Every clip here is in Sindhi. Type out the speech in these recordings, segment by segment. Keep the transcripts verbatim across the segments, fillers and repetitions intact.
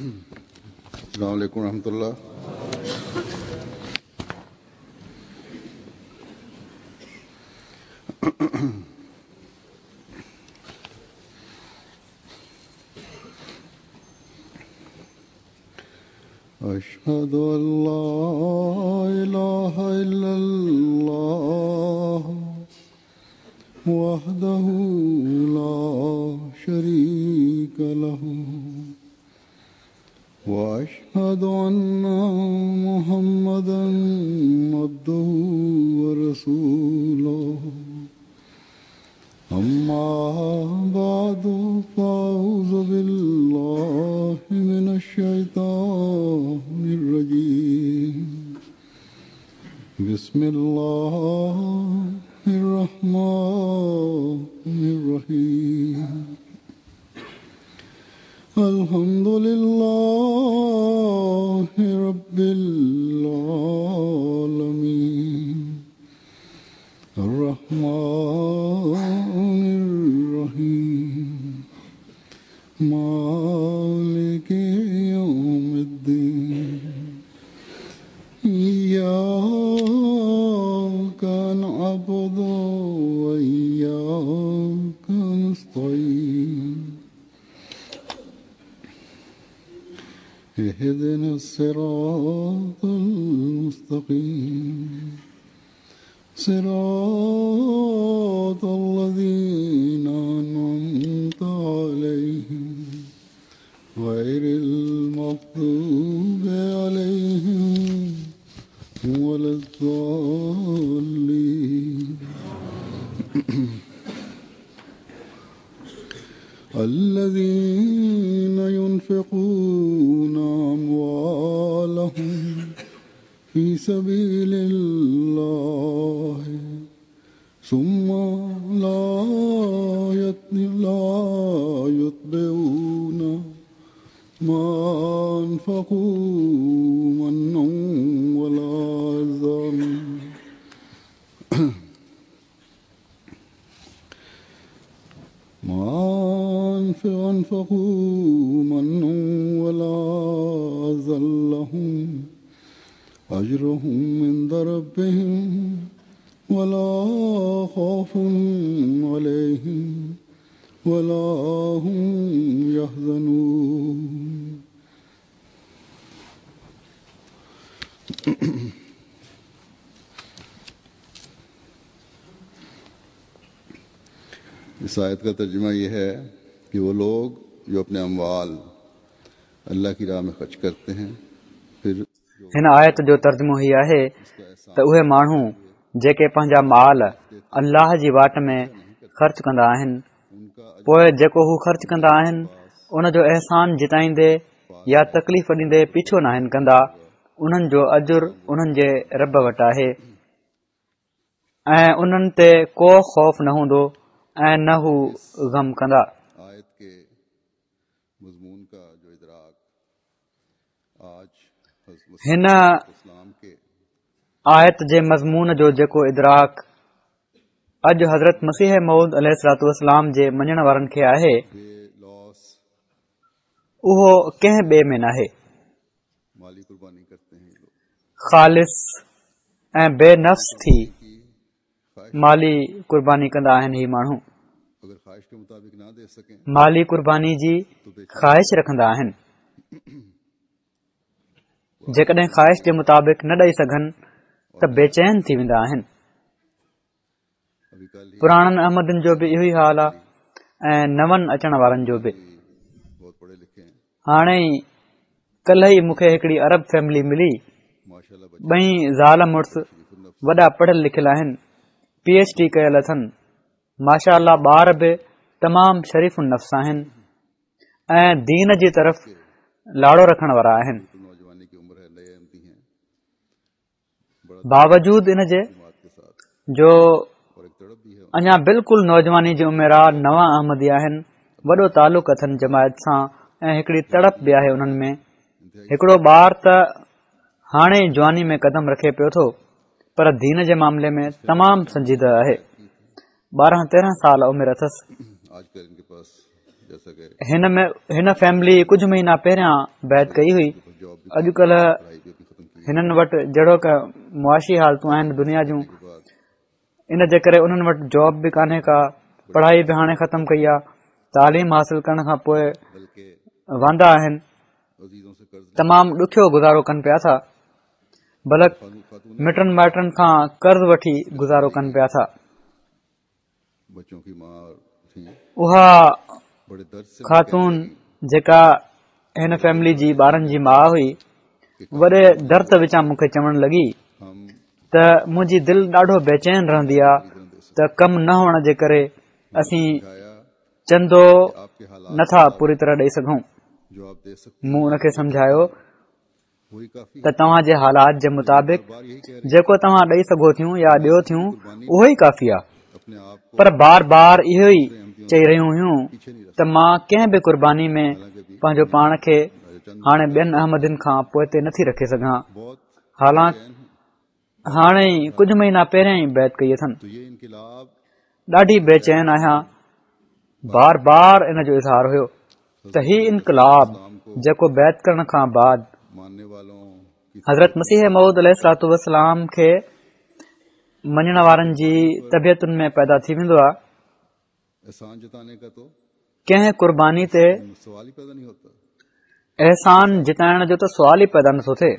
السلام علیکم ورحمۃ اللہ۔ أشهد أن لا إله إلا الله وحده لا شريك له وأشهد أن محمدا عبده ورسوله أما بعد فأعوذ بالله من الشيطان الرجيم بسم الله الرحمن الرحيم الحمد لله رب العالمين الرحمن الرحيم مالك يوم الدين إياك نعبد وإياك نستعين اهدنا الصراط المستقيم صراط الذين أنعمت عليهم غير المغضوب عليهم ولا الضالين الذين ينفقون أموالهم في سبيل الله ثم لا يتبعون ما أنفقوا منا ولا أذى ما أنفقوا منا ولا أذى لهم أجرهم عند ربهم ولا خوف عليهم ولا هم يحزنون۔ اس آیت کا ترجمہ یہ ہے کہ وہ لوگ جو اپنے اموال اللہ کی راہ میں خرچ کرتے ہیں، پھر هن آيت جو ترجمو هي آهي ته اهي ماڻهو جيڪي پنهنجا مال الله جي واٽ ۾ خرچ ڪندا آهن، پوءِ جيڪو هو خرچ ڪندا آهن ان جو احسان جتائيندي يا تڪليف ڏيندي پيڇو ناهن ڪندا، انهن جو اجر انهن جي رب وٽ آهي ۽ انهن تي ڪو خوف نه هوندو ۽ نه هو غم ڪندا۔ هن آيت جي مضمون جو جيڪو ادراڪ اڄ حضرت مسيح موعود عليه الصلوة والسلام جي مڃڻ وارن کي آهي، اهو ڪنهن ٻئي ۾ ناهي۔ خالص ۽ بي نفس ٿي مالي قرباني ڪندا آهن۔ هي ماڻهو مالي قرباني جي خواهش رکندا آهن، جيڪڏهن خواهش جي مطابق نه ڏئي سگهن ته بيچين ٿي ويندا آهن۔ پراڻن احمدين جو به اهو ئي حال آهي ۽ نون اچڻ وارن جو به۔ هاڻي ئي ڪلهه ئي مون کي هڪڙي عرب فيملي ملي، ٻئي زال مڙس وڏا پڙهيل لکيل آهن، پي ايڇ ڊي ڪيل اٿن، ماشاء الله ٻار به تمام شريف النفس آهن ۽ دين جي طرف لاڙو رکڻ وارا آهن۔ باوجود ان جي جو اڃا بلڪل نوجواني جي عمر آ، نوان احمدي آهن، وڏو تعلق اٿن جماعت سان ۽ هڪڙي تڙپ به آهي انهن ۾۔ هڪڙو ٻار ته هاڻي جواني ۾ قدم رکي پيو ٿو، پر دين جي معاملي ۾ تمام سنجيده آهي۔ ٻارهن تيرهن سال عمر اٿس۔ هن ۾ هن فيملي ڪجهه مهينا پهريان بيعت ڪئي هئي. اڄڪلهه هنن وٽ جهڙوڪ معاشي حالتون آهن دنيا جون، ان جي ڪري انهن وٽ جاب به ڪانهي ڪا، پڙهائي به هاڻي ختم ڪئي آهي، تعليم حاصل ڪرڻ کان پوءِ واندا آهن، تمام ڏکيو گذارو ڪن پيا ٿا، بلڪ مٽن مائٽن کان قرض وٺي گذارو ڪن پيا ٿا. اها خاتون جيڪا هن فيملي جي ٻارن جي ماءُ هئي، وڏي درد وچان مون کي چوڻ لڳي ته منهنجي دل ڏاڍو بيچين رهندي آهي ته ڪم نه هئڻ جي ڪري اسين چندو نٿا پوري طرح ڏيئي سگهون. مون ان کي سمجهايو ته توهان جي حالات جي مطابق جيڪو توهان ڏيئي سگهو ٿيون يا ڏيو ٿيون اهو ئي ڪافي آهي، پر بار بار اهو ئي چئي رهيون هيون ته مان ڪنهن به قرباني ۾ پنهنجو پاڻ کي هاڻي ٻين احمدين کان پوئتي نٿي رکي سگهان. حالانڪ هاڻي ئي ڪجهه مهينا پهريان ئي بيعت ڪئي اٿن. ڏاڍي بيچين آهيان. بار بار ان جو اظهار هيو ته هي انقلاب جيڪو بيعت ڪرڻ کان بعد حضرت مسيح موعود عليه الصلوة والسلام کي مڃڻ وارن جي طبيعتن ۾ پيدا ٿي ويندو آهي، ڪنهن قرباني تي احسان جتائڻ جو ته سوال ئي پيدا نٿو ٿئي.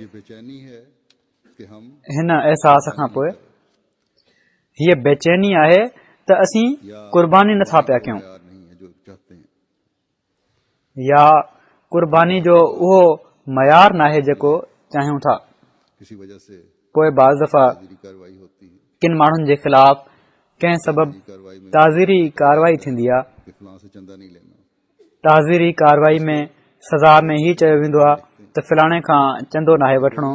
هن احساس کان پوءِ هيءَ بيچيني آهي ته اسين قرباني نٿا پيا ڪيون يا قرباني جو اهو معيار ناهي جيڪو چاهيون ٿا. پوءِ بعض دفعا ڪن ماڻهن جي خلاف ڪنهن سبب تعزيري ڪارروائي ٿيندي آهي. تعزيري ڪارروائي ۾ سزا ۾ هي چيو ويندو آهي ته فلاڻي کان چندو ناهي وٺڻو.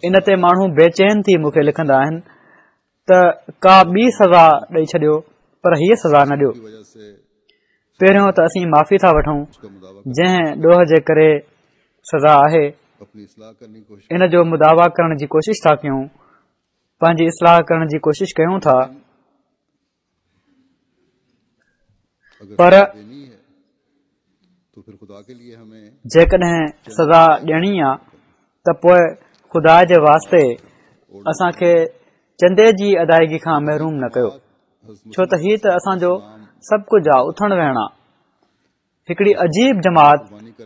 ان تي ماڻهو بيچين ٿي مون کي لکندا آهن ته ڪا ٻي سزا ڏيئي ڇڏيو پر هيءَ سزا نه ڏيو. پهريون ته اسين معافي ٿا وٺون، جنهن ڏوهه جي ڪري سزا آهي ان جو مداوا ڪرڻ جي ڪوشش ٿا ڪيون، پنهنجي اصلاح ڪرڻ جي ڪوشش ڪيون ٿا، پر جيڪڏهن سزا ڏيڻي آهي ته پوءِ خدا جي واسطي اسان کي چندي جي ادائگي کان محروم نه ڪيو، ڇو ته هيءَ ته اسان جو سڀ ڪجهه آهي، اٿڻ ويهڻ آهي. هڪڙي عجيب جماعت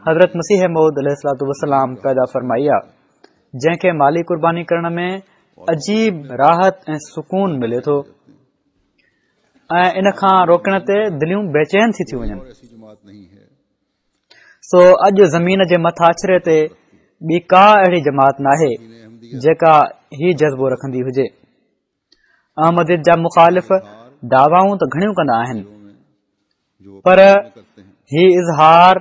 حضرت مسيح موعود عليه الصلوة والسلام پيدا فرمائي آهي، جنهن کي مالي قرباني ڪرڻ ۾ عجيب راحت ۽ سڪون ملي ٿو ۽ ان کان روڪڻ تي دليون بيچين ٿي ٿيون وڃن. سو اڄ زمين جي مٿاڇري تي ٻي ڪا اهڙي جماعت ناهي جيڪا هي جذبو رکندي هجي. احمديت جا مخالف دعوائون ته گهڻيون ڪندا آهن، پر هي اظهار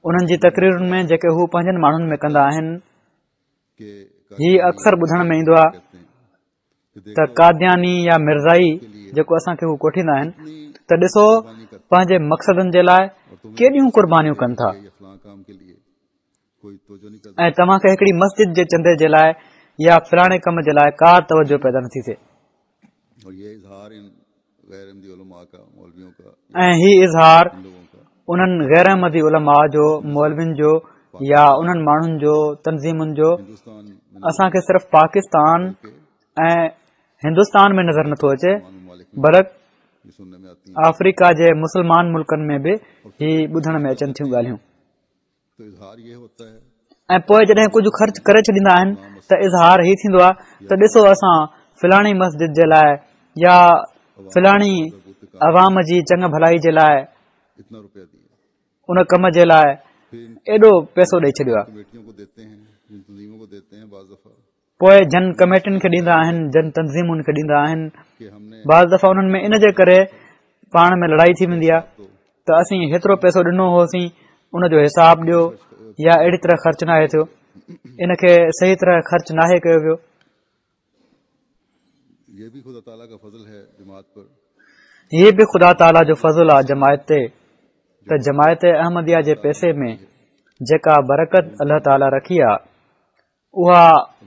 انهن جي تقريرن ۾ جيڪي هو پنهنجن ماڻهن ۾ ڪندا آهن، هي اڪثر ٻڌڻ ۾ ايندو آهي ته قادياني يا مرزائي جيڪو اسان کي هو ڪوٺيندا آهن ته ڏسو پنهنجي مقصدن جي لاءِ ڪيڏيون قربانيون ڪن ٿا ۽ توهان کي هڪڙي مسجد جي چندي جي لاءِ يا فلاڻي ڪم جي لاءِ ڪا توجهه پيدا نٿي ٿئي. ۽ هي اظهار انهن غير احمدي علماء جو، مولوين جو يا انهن ماڻهن جو، تنظيمن جو اسان کي صرف پاڪستان ۽ هندستان ۾ نظر نٿو اچي، بلڪ آفريڪا جي مسلمان ملڪن ۾ به هي ٻڌڻ ۾ اچن ٿيون ڳالهيون. ۽ پوءِ جڏهن ڪجهه خرچ ڪري ڇڏيندا آهن ته اظهار هي ٿيندو آهي ته ڏسو اسان فلاڻي مسجد جي لاءِ يا فلاڻي عوام جي چڱ ڀلائي جي لاءِ ان ڪم جي لاءِ ايڏو پئسو ڏيئي ڇڏيو آهي. پوءِ جن ڪميٽين کي ڏيندا آهن، جن تنظيمن کي ڏيندا آهن، بعض دفعا انهن ۾ ان جي ڪري پاڻ ۾ لڙائي ٿي ويندي آهي ته اسين هيترو پئسو ڏنو هوسين ان جو حساب ڏيو، يا اهڙي طرح خرچ ناهي ٿيو، ان کي صحيح طرح خرچ ناهي ڪيو ويو. هي به خدا تعاليٰ جو فضل آهي جماعت تي ته جماعت احمديه جي پئسي ۾ جيڪا برڪت الله تعاليٰ رکي آهي اها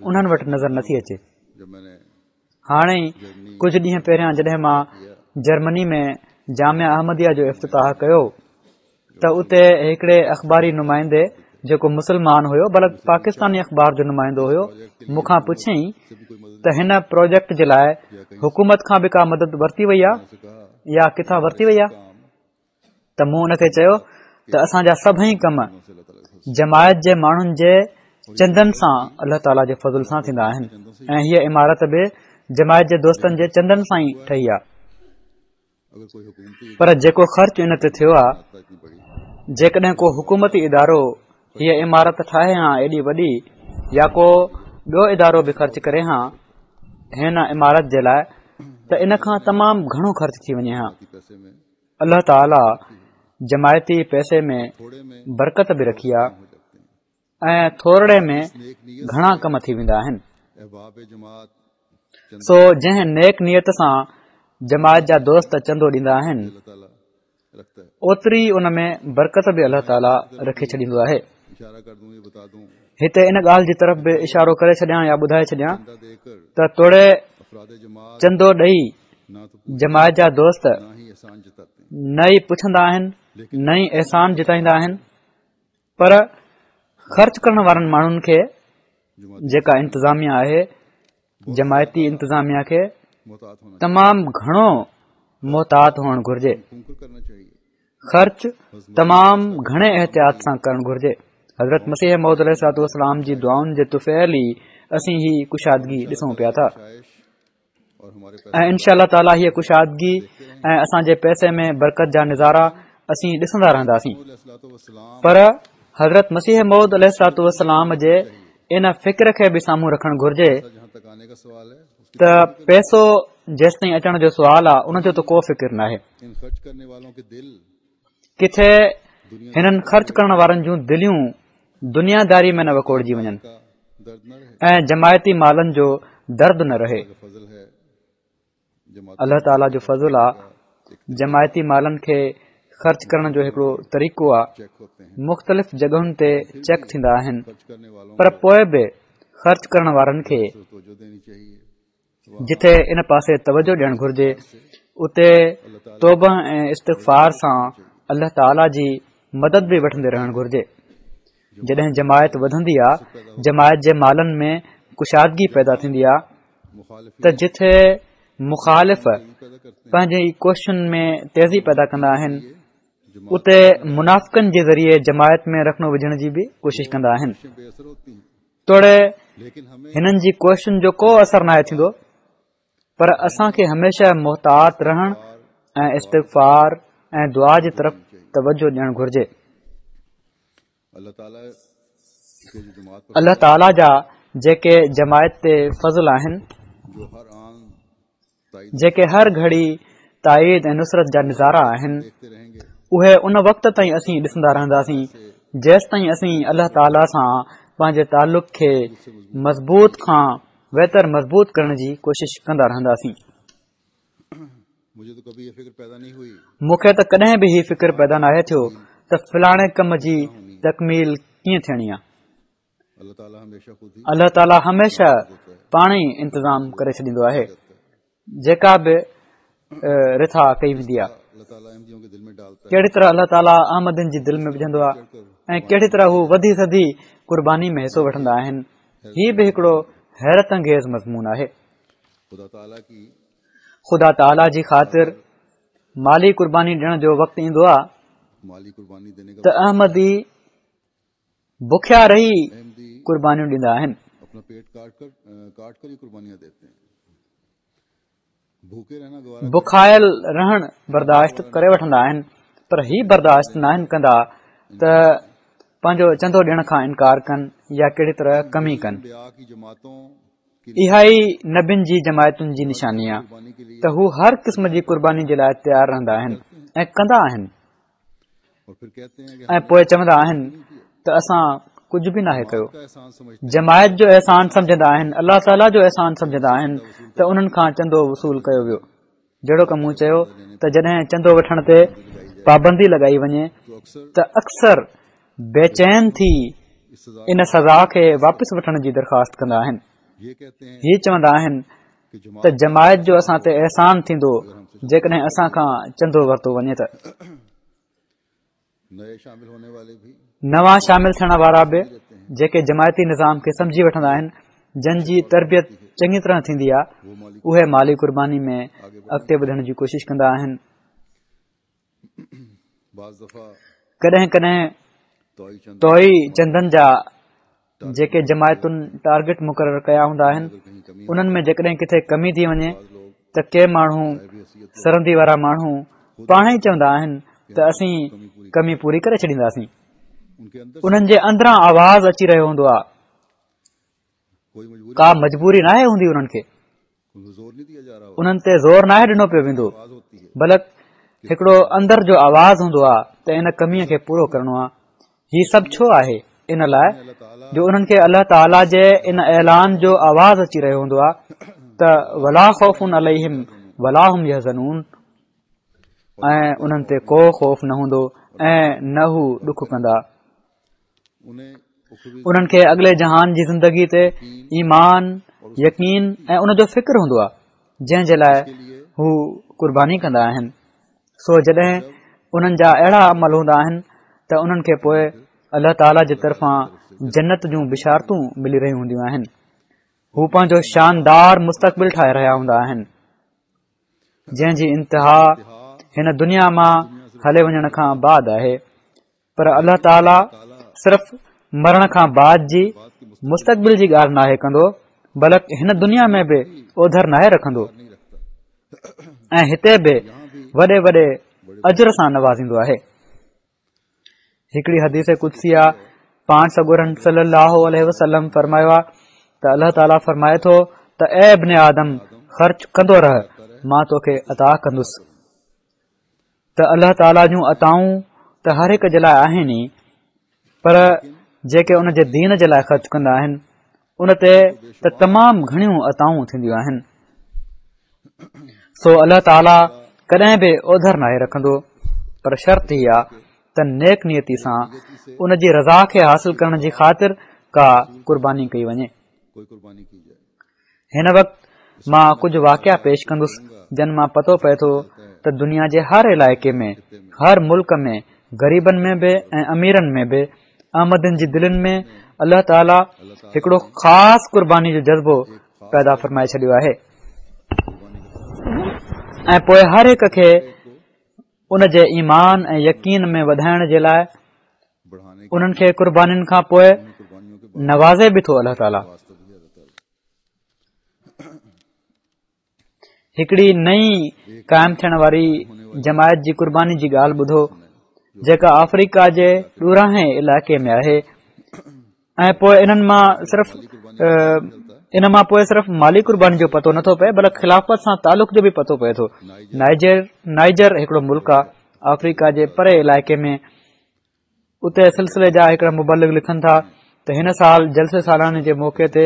انهن وٽ نظر نٿي اچي. هاڻي ئي ڪجهه ڏينهن پهريان جڏهن مان جرمني ۾ جامعه احمديه جو افتتاح ڪيو ته اتي هڪڙي اخباري نمائندي جيڪو مسلمان هيو، بلڪ پاڪستاني اخبار جو نمائندو هيو، مون کان پڇيائين ته هن پروجيڪٽ جي لاء حڪومت کان به ڪا مدد ورتي وئي آهي يا ڪٿان ورتي وئي آهي؟ ته مون ان کي چيو ته اسان جا سڀئي ڪم جماعت جي ماڻهن جي چندن سان الله تعاليٰ جي فضل سان ٿيندا آهن ۽ هيء عمارت به جماعت جي دوستن جي چندن سان ئي ٺهي آهي، پر جيڪو خرچ ان تي ٿيو آهي، جيڪڏهن ڪو حڪومتي ادارو هيء عمارت ٺاهي ها ايڏي وڏي يا ڪو ٻيو ادارو به خرچ ڪري ها هن عمارت جي لاء ته ان کان تمام گهڻو خرچ ٿي وڃي ها. الله تعاليٰ جماعتي پئسي ۾ برڪت به رکي آهي ۽ ٿورڙي ۾ گهڻا ڪم ٿي ويندا آهن. سو جنهن نيڪ نيت سان جماعت جا دوست چندو ڏيندا آهن، اوتري ان ۾ برڪت به الله تعاليٰ رکي ڇڏيندو آهي. هتي ان ڳالهه جي طرف به اشارو ڪري ڇڏيان يا ٻڌائي ڇڏيان ته توڙي چندو ڏئي جماعت جا دوست نه ئي پڇندا آهن نه ئي احسان جتائيندا آهن، پر خرچ ڪرڻ وارن ماڻهن کي جيڪا انتظاميا آهي، جماعتي انتظاميا کي تمام گهڻو محتاط هئڻ گهرجي، خرچ تمام گهڻي احتياط سان ڪرڻ گهرجي. حضرت مسيح موعود عليه الصلوة والسلام جي دعائن جي طفيل ئي اسين هي ڪشادگي ڏسون پيا ٿا ۽ انشاء الله تعاليٰ هيء ڪشادگي ۽ اسان جي پئسي ۾ برڪت جا نظارا اسين ڏسندا رهنداسين. پر حضرت مسيح موعود عليه الصلوة والسلام جي ان فڪر کي به سامهون رکڻ گهرجي ته پئسو جيستائين اچڻ جو سوال آهي ان جو ته ڪو فڪر ناهي. ڪٿي هنن خرچ ڪرڻ وارن جون دليون دنياداري ۾ نه وڪوڙجي وڃن ۽ جماعتي مالن جو درد نه رهي. الله تعاليٰ جو فضل آ جماعتي مالن کي خرچ ڪرڻ جو هڪڙو طريقو آ، مختلف جڳهن تي چيڪ ٿيندا آهن، پر پوء به خرچ ڪرڻ وارن کي جتي ان پاسي توجه ڏيڻ گهرجي اتي توبه ۽ استغفار سان الله تعاليٰ جي مدد به وٺندي رهڻ گهرجي. جڏهن جماعت وڌندي آ، جماعت جي مالن ۾ ڪشادگي پيدا ٿيندي آ ته جتي مخالف پنهنجي ڪوششن ۾ تيزي پيدا ڪندا آهن، اتي منافقن جي ذريعي جماعت ۾ رخنو وجهڻ جي به ڪوشش ڪندا آهن. توڙي هنن جي ڪوششن جو ڪو اثر ناهي ٿيندو، پر اسان کي هميشه محتاط رهڻ ۽ استغفار ۽ دعا جي طرف توجه ڏيڻ گهرجي. الله تعاليٰ جا جيڪي جماعت تي فضل آهن، جيڪي هر گهڙي تائيد ۽ نصرت جا نظارا آهن، اهي ان وقت تائين اسين ڏسندا رهنداسين جيستائين اسين الله تعاليٰ سان پنهنجي تعلق کي مضبوط کان ويتر مضبوط ڪرڻ جي ڪوشش ڪندا رهنداسين. مون کي ته ڪڏهن به هي فڪر پيدا ناهي ٿيو ته فلاڻي ڪم جي تڪميل ڪيئن ٿيڻي آهي. الله تعاليٰ هميشه پاڻ ئي انتظام ڪري ڇڏيندو آهي، جيڪا به رٿا ڪئي ويندي آهي. ڪهڙي طرح الله تعاليٰ احمدين جي دل ۾ وجهندو آهي ۽ ڪهڙي طرح هو وڌي سڌي قرباني ۾ حصو وٺندا آهن، هي به هڪڙو حيرت انگيز مضمون آهي. خدا تعاليٰ جي خاطر مالي قرباني ڏيڻ جو وقت ايندو آهي ته احمدي بکيا رهي قربانيون ڏيندا آهن. بکايل رهڻ برداشت ڪري وٺندا آهن، پر هي برداشت ناهن ڪندا ته پنهنجو چندو ڏيڻ کان انڪار ڪن يا ڪهڙي طرح ڪمي ڪن. اها ئي نبين جي جماعتن جي نشاني آهي ته هو هر قسم جي قرباني جي لاء تيار رهندا آهن ۽ ڪندا آهن ۽ پوء چوندا آهن ته اسان ڪجهه به ناهي ڪيو. جماعت جو احسان سمجهندا آهن، الله تعاليٰ جو احسان سمجهندا آهن ته انهن کان چندو وصول ڪيو ويو. جهڙوڪ مون چيو ته جڏهن چندو وٺڻ تي پابندي لڳائي وڃي ته اڪثر بيچين ٿي ان سزا کي واپس وٺڻ جي درخواست ڪندا آهن. هي چوندا آهن ته جماعت جو اسان تي احسان ٿيندو جيڪڏهن اسان کان چندو ورتو وڃي ته. نوان شامل ٿيڻ وارا به جيڪي جماعتي نظام کي سمجهي وٺندا آهن، جن جي تربيت چڱي طرح ٿيندي آهي، اهي مالي قرباني ۾ اڳتي وڌڻ جي ڪوشش ڪندا آهن. ڪڏهن ڪڏهن توئي چندن جا جيڪي جماعتن ٽارگيٽ مقرر ڪيا هوندا آهن، انهن ۾ جيڪڏهن ڪٿي ڪمي ٿي وڃي ته ڪي ماڻهو سرندي وارا ماڻهو پاڻ ئي چوندا آهن ته اسين ڪمي پوري ڪري ڇڏينداسين. انهن جي اندران آواز اچي رهيو هوندو آهي، ڪا مجبوري ناهي هوندي انهن کي، انهن تي زور ناهي ڏنو پيو ويندو، بلڪ هڪڙو اندر جو آواز هوندو آهي ته ان ڪميءَ کي پورو ڪرڻو آهي. هي سڀ ڇو آهي؟ ان لاءِ جو انهن کي الله تعاليٰ جي ان اعلان جو آواز اچي رهيو هوندو آهي ته ولا خوف عليهم ولا هم يحزنون، ۽ انهن تي ڪو خوف نه هوندو ۽ نه هو ڏک ڪندا. انهن کي اڳلي جهان جي زندگي تي ايمان، يقين ۽ ان جو فڪر هوندو آهي، جنهن جي لاءِ هو قرباني ڪندا آهن. سو جڏهن انهن جا اهڙا عمل هوندا آهن ته انهن کي پوءِ الله تعاليٰ جي طرفان جنت جون بشارتون ملي رهيون هونديون آهن. هو پنهنجو شاندار مستقبل ٺاهي رهيا هوندا آهن، جنهن جي انتها هن دنيا مان هلي وڃڻ کان بعد آهي. پر الله تعاليٰ صرف مرڻ کان بعد جي مستقبل جي ڳالهه ناهي ڪندو، بلڪ هن دنيا ۾ به اوڌر ناهي رکندو ۽ هتي به وڏي وڏي اجر سان نوازيندو آهي. هڪڙي حديث قدسي آ، پاڻ سڳورن صلي الله عليه وسلم فرمايو آ ته الله تعاليٰ فرمائي ٿو ته اي ابن آدم، خرچ ڪندو رهه، مان توکي عطا ڪندس. ته الله تعاليٰ جون عطائون ته هر هڪ جي لاءِ آهن ئي، پر جيڪي ان جي دين جي لاءِ خرچ ڪندا آهن ان تي ته تمام گهڻيون عطائون ٿينديون آهن. سو الله تعاليٰ ڪڏهن به اوڌر ناهي رکندو، پر شرط هي آ ته نيڪ نيتي سان ان جي رضا کي حاصل ڪرڻ جي خاطر ڪا قرباني ڪئي وڃي. هن وقت مان ڪجهه واقعا پيش ڪندس جن مان پتو پئي ٿو ته دنيا جي هر علائقي ۾، هر ملڪ ۾، غريبن ۾ به ۽ اميرن ۾ به احمدين جي دلين ۾ الله تعاليٰ هڪڙو خاص قرباني جو جذبو پيدا فرمائي ڇڏيو آهي ۽ پوءِ هر هڪ کي ان جي ايمان ۽ يقين ۾ وڌائڻ جي لاءِ انهن کي قربانين کان پوءِ نوازي به ٿو الله تعاليٰ. هڪڙي نئين قائم ٿيڻ واري جماعت جي قرباني جي ڳالهه ٻڌو، جيڪا آفريڪا جي ڏورانهين علائقي ۾ آهي ۽ پوءِ انهن مان صرف ان مان پوءِ صرف مالي قرباني جو پتو نٿو پئي، بلڪ خلافت سان تعلق جو به پتو پئي ٿو. نائجر نائجر هڪڙو ملڪ آهي آفريڪا جي پري علائقي ۾. اتي سلسلي جا هڪڙا مبلغ لکن ٿا ته هن سال جلسي سالاني جي موقعي تي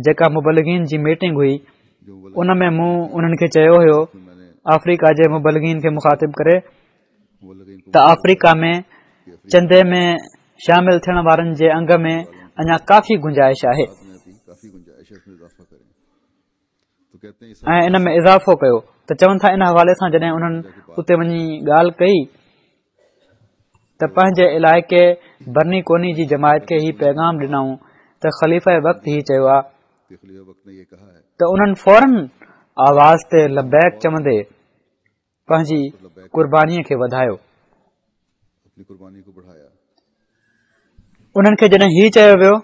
جيڪا مبلغين جي ميٽنگ هئي، ان ۾ مون انهن کي چيو هيو، آفريڪا جي مبلغين کي مخاطب ڪري، ته آفريڪا ۾ چندي ۾ شامل ٿيڻ وارن جي انگ ۾ اڃا ڪافي گنجائش آهي ۽ ان ۾ اضافو ڪيو. ته چون ٿا ان حوالي سان جڏهن انهن اتي وڃي ڳالهه ڪئي ته پنهنجي علائقي برني ڪوني جي جماعت کي هي پيغام ڏنائون ته خليفه وقت هي چيو آهي ته انهن فورن آواز تي لبيڪ چوندي پنهنجي قربانيءَ کي وڌايو. انهن کي جڏهن هي چيو ويو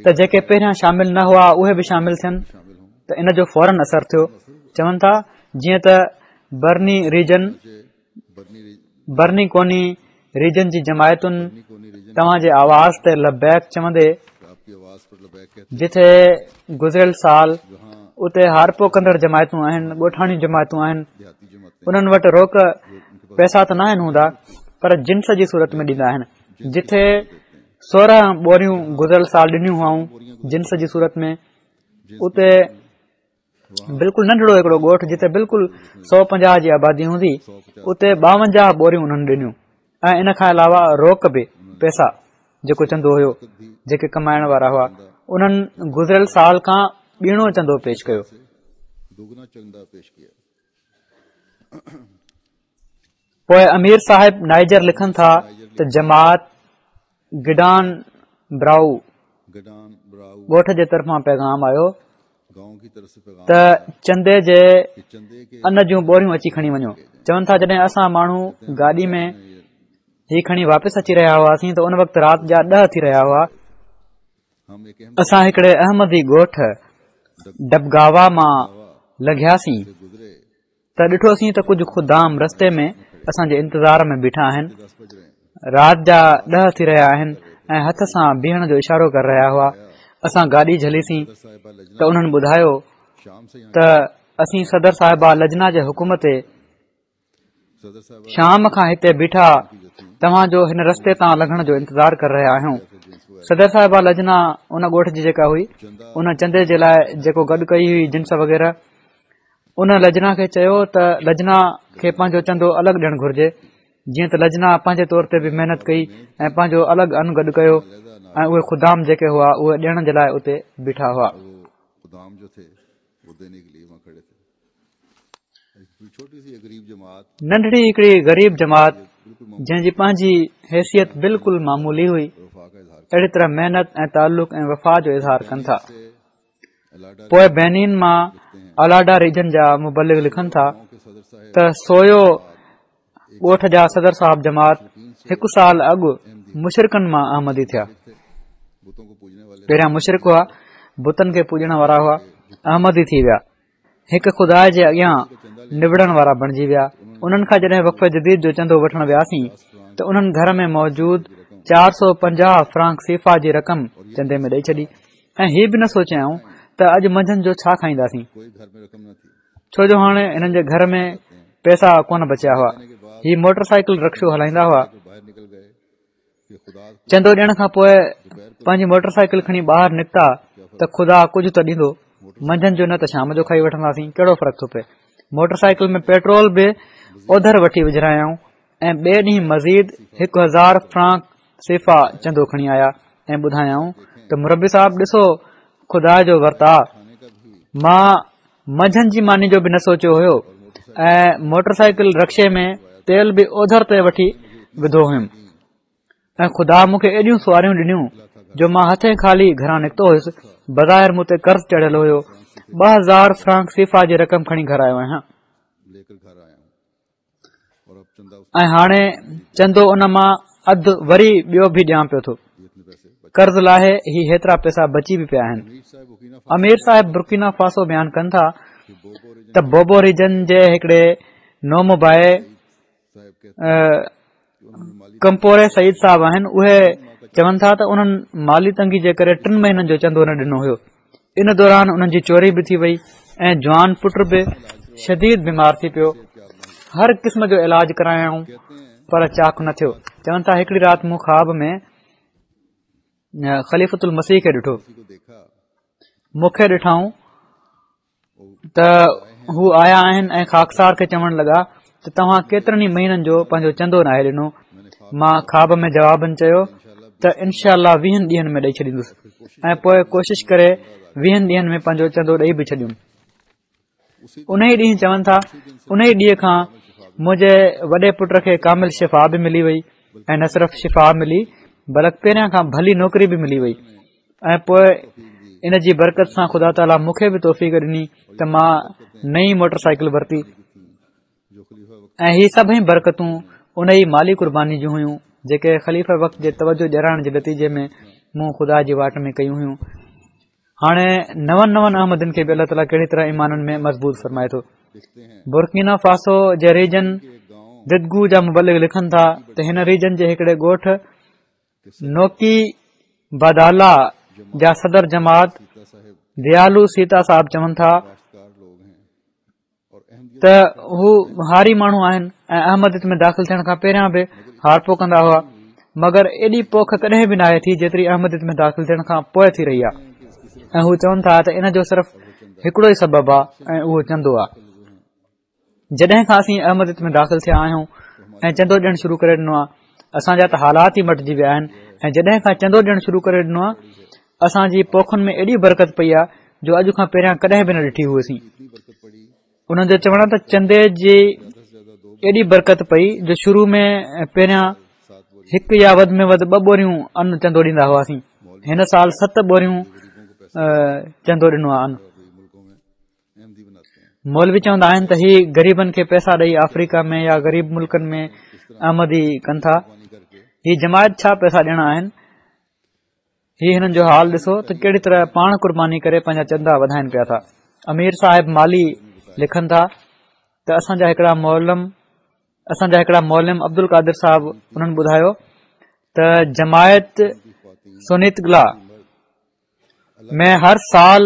ته جيڪي پهريان شامل نه هئا اهي به شامل ٿين ته ان جو فورن اثر ٿيو. چون ٿا جيئن ته برني ريجن برني ڪوني ريجن جي جماعتن توهان جي آواز تي لبيڪ چوندي جتي گذريل سال اتي هارپو ڪندڙ جماعتون آهن، ڳوٺاڻيون جماعتون آهن، انهن وٽ روڪ پئسا ته ناهن هوندا پر جنس جي صورت ۾ ڏيندا آهن. جتي سورهن ٻوريون گذريل سال ڏنيون هئائون جنس جي صورت ۾، اتي بلڪل ننڍڙو هڪڙو ڳوٺ جتي بلڪل سؤ پنجاهه جي آبادي هوندي، اتي ٻاونجاهه ٻوريون انهن ڏنيون ۽ ان کان علاوه روڪ به پئسا جيڪو چندو هيو جيڪي ڪمائڻ وارا هئا، انهن گذريل سال کان ٻيڻو چندو پيش ڪيو. پوءِ امير صاحب نائجر لکن ٿا ته جماعت گڊان برائو ڳوٺ جي طرفان پيغام آيو ته چندي جي ان جون ٻوريون اچي کڻي وڃو. چون ٿا جڏهن اسان ماڻهو گاڏي ۾ هي کڻي واپس اچي رهيا هئاسين ته ان وقت رات جا ڏهه ٿي رهيا هئا. اسان هڪڙي احمدي ڳوٺ ڊبگاوا مان لنگهياسين ته ڏٺوسين ته ڪجهه خدام رستي ۾ اسان جي انتظار ۾ بيٺا آهن. رات جا ڏهه ٿي رهيا آهن ۽ هٿ سان بيهڻ جو اشارو ڪري رهيا هئا. اسان گاڏي جهليسين ته انهن ٻڌايو ته اسين صدر صاحبه لجنا جي حڪم تي شام کان هتي بيٺا توهان جو هن رستي تان لنگهڻ جو انتظار ڪري رهيا آهيون. صدر صاحبه لجنا ان ڳوٺ جي جيڪا هئي ان چندي جي لاءِ جيڪو گڏ ڪئي هئي جنس وغيره، ان لجنا کي چيو ته لجنا کي پنهنجو چندو الڳ ڏيڻ گهرجي، جيئن ته لجنا پنهنجي طور تي به محنت ڪئي ۽ پنهنجو الڳ ان گڏ ڪيو ۽ اهي خدام جيڪي هئا اهي ڏيڻ جي لاءِ اتي بيٺا هئا. ننڍڙي هڪڙي غريب جماعت جنهن جي پنهنجي حيثيت بلڪل معمولي هئي، اهڙي طرح محنت ۽ تعلق ۽ وفا جو اظهار ڪن ٿا. پوءِ بينين مان الاڊا ريجن جا مبلغ لکن ٿا ته سويو ڳوٺ جا صدر صاحب جماعت هڪ سال اڳ مشرڪن مان احمدي ٿيا. پهريان مشرڪ هئا، بتن کي پوڄڻ وارا هئا، احمدي ٿي ويا، هڪ خدا جي اڳيان نبڙڻ وارا بڻجي ويا. انهن کان جڏهن وقف جديد جو چندو وٺڻ وياسين ته انهن گهر ۾ موجود چار سؤ پنجاهه فرانڪ سيفا جي رقم چندي ۾ ڏئي ڇڏي ۽ هي به نه سوچيائون ته اڄ منجهند جو ڇا کائينداسين، ڇو جو هاڻي هنن جي گهر ۾ پئسا ڪونه بچيا هئا. هي موٽر سائيڪل رڪشو هلائيندا هئا. چندو ڏيڻ کان پوءِ پنهنجي موٽر سائيڪل کڻي ٻاهر نڪتا ته خدا ڪجهه ته ڏيندو، منجهند جو نه ته شام جو کائي وٺنداسين، ڪهڙو فرق ٿو پئي. موٽر سائيڪل ۾ پيٽرول به اوڌر وٺي وجهرايائون ۽ ٻئي ڏينهن مزيد هڪ هزار فرانڪ سيفا چندو کڻي آيا ۽ ٻڌايائون ته مربي صاحب ڏسو خدا جو ورتاءُ، مان منجهند جي ماني جو به نه سوچيو هيو ۽ موٽر سائيڪل رڪشي ۾ تيل به اوڌر تي وٺي وڌو هيم ۽ خدا مون کي ايڏيون سواريون ڏنيون جو مان هٿين خالي گهران نڪتو هيس. بظاهر مون تي قرض چڙهيل هيو. ٻه هزار فرانڪ سيفا جي رقم کڻي گهر آيو آهيان ۽ هاڻي چندو ان مان اڌ وري ٻيو به ڏيان پيو ٿو. قرض لاهي هي هيترا پئسا بچي به پيا آهن. امير صاحب برڪينا فاسو بيان ڪن ٿا ته بوبو ريجن جي هڪڙي نومبائع ڪمپوري سعيد صاحب آهن، اهي چون ٿا ته انهن مالي تنگي جي ڪري ٽن مهينن جو چندو نه ڏنو هيو. ان دوران انهن جي چوري به ٿي وئي ۽ جوان پٽ به شديد بيمار ٿي پيو. هر قسم جو علاج ڪرايائون پر چاڪ نه ٿيو. چون ٿا هڪڙي رات مون خواب ۾ خليفة المسيح کي ڏٺو. مون کي ڏٺائون ته هو آيا آهن ۽ خاڪسار کي چوڻ لڳا ته توهان ڪيترن ئي مهينن جو پنهنجو چندو ناهي ڏنو. مان خواب ۾ جوابن چيو ته انشاء الله ويهن ڏينهن ۾ ڏئي ڇڏيندس ۽ پوءِ ڪوشش ڪري ويهن ڏينهن ۾ پنهنجو چندو ڏئي به ڇڏيم. ان ئي ڏينهن چون ٿا ان ئي ڏينهن کان منهنجي وڏي پٽ کي ڪامل شفا به ملي وئي ۽ نه صرف شفا ملي بلڪ پهريان کان ڀلي نوڪري به ملي وئي ۽ پوءِ ان جي برڪت سان خدا تعاليٰ مون کي به توفيق ڏني ته مان نئين موٽر سائيڪل ورتي ۽ هي سڀئي برڪتون ان ئي مالي قرباني جون هيون جيڪي خليفه وقت جي توجه ڏيارڻ جي نتيجي ۾ مون خدا جي واٽ ۾ ڪيون هيون. هاڻي نون نون احمدين کي به الله تعاليٰ ڪهڙي طرح ايمانن ۾ مضبوط فرمائي ٿو. برڪينا فاسو جي ريجن ددگو جا مبلغ لکن ٿا ته هن ريجن جي هڪڙي ڳوٺ نوڪي بادالا جا صدر جماعت ديالو سيتا صاحب چون ٿا ته هو هاري ماڻهو آهن ۽ احمديت ۾ داخل ٿيڻ کان پهريان به هارپو ڪندا هئا، مگر ايڏي پوک ڪڏهن به ناهي ٿي جيتري احمديت ۾ داخل ٿيڻ کان پوءِ ٿي رهي آهي. ۽ هو چون ٿا ته ان جو صرف هڪڙو ئي سبب آهي ۽ اهو چندو آهي. جڏهن کان اسين احمديت ۾ داخل ٿيا آهيون ۽ چندو ڏيڻ شروع ڪري ڏنو آهي، اسان جا ته حالات ئي مٽجي ويا آهن ۽ جڏهن کان چندو ڏيڻ شروع ڪري ڏنو آهي اسان جي پوکن ۾ ايڏي برڪت پئي آهي جو اڄ کان پهريان ڪڏهن به نه ڏٺي هئيسين. انهن جو چوڻ آهي ته چندي جي ايڏي برڪت پئي جو شروع ۾ پهريان هڪ يا وڌ ۾ وڌ ٻه ٻوريون ان چندو ڏيندا هئاسين، هن سال ست ٻوريون چندو ڏنو آهي ان. مولوي چوندا آهن ته هي غريبن کي پئسا ڏئي آفريڪا ۾ يا غريب ملڪن ۾ احمدي ڪن ٿا. هي جماعت ڇا پئسا ڏيڻا آهن؟ هي هنن جو حال ڏسو ته ڪهڙي طرح پاڻ قرباني ڪري پنهنجا چندا وڌائين پيا ٿا. امير صاحب مالي لکن ٿا ته اسان جا هڪڙا معلم اسان جا هڪڙا معلم عبد القادر صاحب انهن ٻڌايو ته جماعت سونيتگلا ۾ هر سال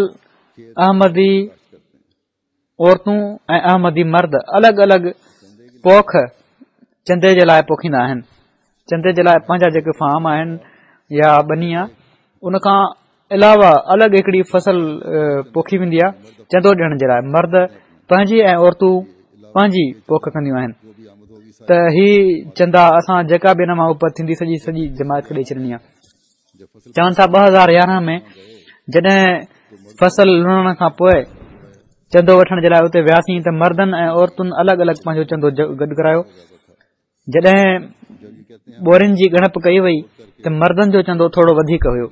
احمدي عورتون ۽ احمدي مرد الڳ الڳ پوک چندي جي لاءِ پوکيندا آهن. چندي جي لاءِ پنهنجا جيڪي فارم آهن يا ٻني آهي ان کان علاوه الڳ هڪڙي فصل پوکي ويندي آهي چندو ڏيڻ جي لاءِ. مرد پنهنجي ۽ عورتون پنهنجي پوک ڪنديون آهن. ته هي چندا اسان جيڪا به ان مان اپت ٿيندي سڄي سڄي جماعت کي ڏئي ڇڏڻي آهي. چون ٿا ٻه هزار يارهن ۾ جڏهن فصل لڻڻ کان پوءِ چندو وٺڻ جي لاءِ اتي وياسين ته مردن ۽ عورتن الڳ الڳ پنهنجو چندو گڏ ڪرايو. جڏهن ٻورين جي ڳڻپ ڪئي وئي ته مردن جو چندو ٿورو وڌيڪ هيو.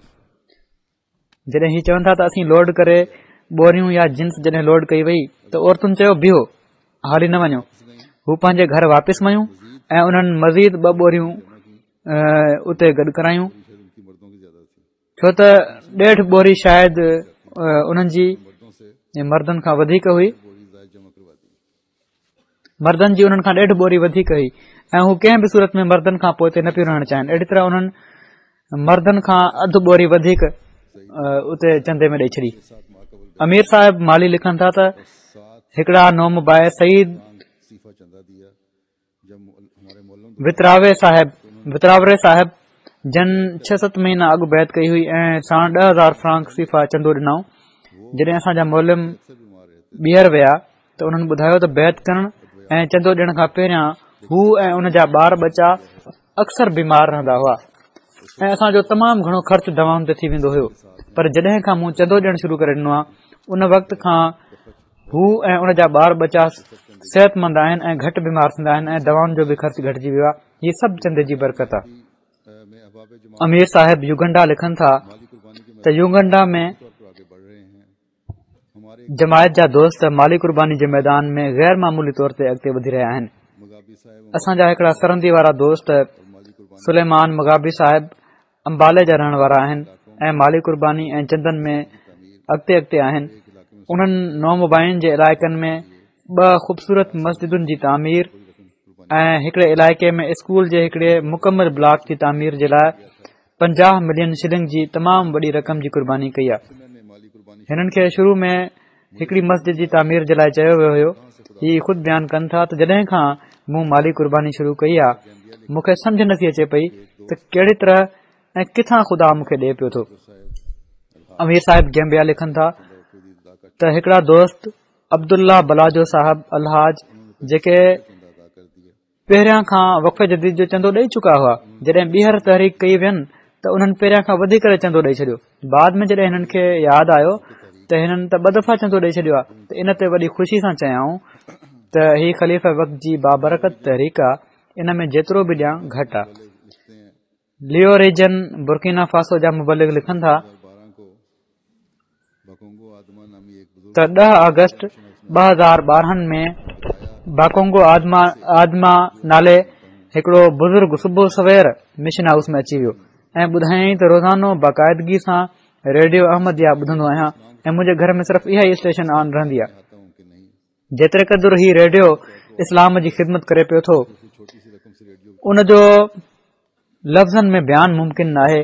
جڏهن هي چون ٿا ته اسين لوڊ ڪري ٻوريون يا جنس جڏهن لوڊ ڪئي وئي ته عورتن چيو بيهو حالي نه وڃو. هو پنهنجي گهر واپس ويون ۽ انهن مزيد ٻه ٻوريون اتي گڏ ڪرايون، ڇو ته ڏيڍ ٻوري شايد انهن جي مردن کان وڌيڪ هئي. مردن جي انهن کان ڏيڍ ٻوري وڌيڪ هئي ۽ هو ڪنهن به صورت ۾ مردن کان پوئتي نه پيون رهڻ چاهين. اهڙي طرح انهن مردن کان اڌ ٻوري وڌيڪ اتي چندي ۾ ڏئي ڇڏي. امير صاحب مالي لکن ٿا ته هڪڙا نومبائع سعيد وتراوي صاحب وتراوري صاحب جن ڇهه ست مهينا اڳ بيعت ڪئي هئي ۽ ساڻ ڏهه هزار فرانڪ سيفا چندو ڏنائون. جڏهن اسان جا معلم ٻيهر ويا ته انهن ٻڌايو ته بيعت ڪرڻ ۽ چندو ڏيڻ کان پهريان هو ۽ ان جا ٻار ٻچا اڪثر بيمار رهندا هئا ۽ اسان جو تمام گهڻو خرچ دوائن تي ٿي ويندو هيو، پر جڏهن کان مون چندو ڏيڻ شروع ڪري ڏنو آهي ان وقت کان هو ۽ ان جا ٻار ٻچا صحتمند آهن ۽ گهٽ بيمار ٿيندا آهن ۽ دوائن جو به خرچ گهٽجي ويو آهي. هي سڀ چندي جي برڪت آهي. امير صاحب يوگنڊا لکن ٿا ته يوگنڊا ۾ جماعت جا دوست مالي قرباني جي ميدان ۾ غير معمولي طور تي اڳتي وڌي رهيا آهن. اسان جا هڪڙا سرندي وارا دوست سليمان مغابي صاحب امبالي جا رهڻ وارا آهن ۽ مالي قرباني ۽ چندن ۾ اڳتي اڳتي آهن. انهن نومبائعين جي علائقن ۾ ٻه خوبصورت مسجدن جي تعمير ۽ هڪڙي علائقي ۾ اسڪول جي هڪڙي مڪمل بلاڪ جي تعمير جي لاءِ پنجاهه ملين شلنگ جي تمام وڏي رقم جي قرباني ڪئي آهي. هنن کي شروع ۾ هڪڙي مسجد جي تعمير جي لاءِ چيو ويو هيو. هي خود بيان ڪن ٿا ته جڏهن کان مون مالي قرباني شروع ڪئي آهي مون کي سمجهه نٿي اچي پئي ته ڪهڙي طرح ۽ ڪٿان خدا مون کي ڏئي پيو ٿو. امير صاحب گيمبيا لکن ٿا ته هڪڙا دوست عبدالله بلاجو صاحب الحاج جيڪي پهريان کان وقف جديد جو چندو ڏئي چڪا هئا، جڏهن ٻيهر تحريڪ ڪئي وين ته انهن پهريان کان وڌي ڪري چندو ڏئي ڇڏيو. بعد ۾ جڏهن هنن کي ياد آيو ته هنن ته ٻه دفعا چندو ڏئي ڇڏيو آهي ته ان تي وڏي خوشي سان چيائون ته هي خليفه وقت جي بابرڪت تحريڪ آهي، ان ۾ جيترو به ڏيان گهٽ آهي. ليو ريجن برڪينا فاسو جا مبلغ لکن ٿا ته ڏهه آگسٽ ٻه هزار ٻارهن ۾ باڪونگو آدما آدما نالي هڪڙو بزرگ صبح سوير مشن هائوس ۾ اچي ويو ۽ ٻڌايائين ته روزانو باقاعدگي سان ريڊيو احمديه ٻڌندو آهيان ۽ منهنجي گهر ۾ صرف اها ئي اسٽيشن آن رهندي آهي. جيتري قدر هي ريڊيو اسلام جي خدمت ڪري پيو ٿو ان جو لفظن ۾ بيان ممڪن ناهي.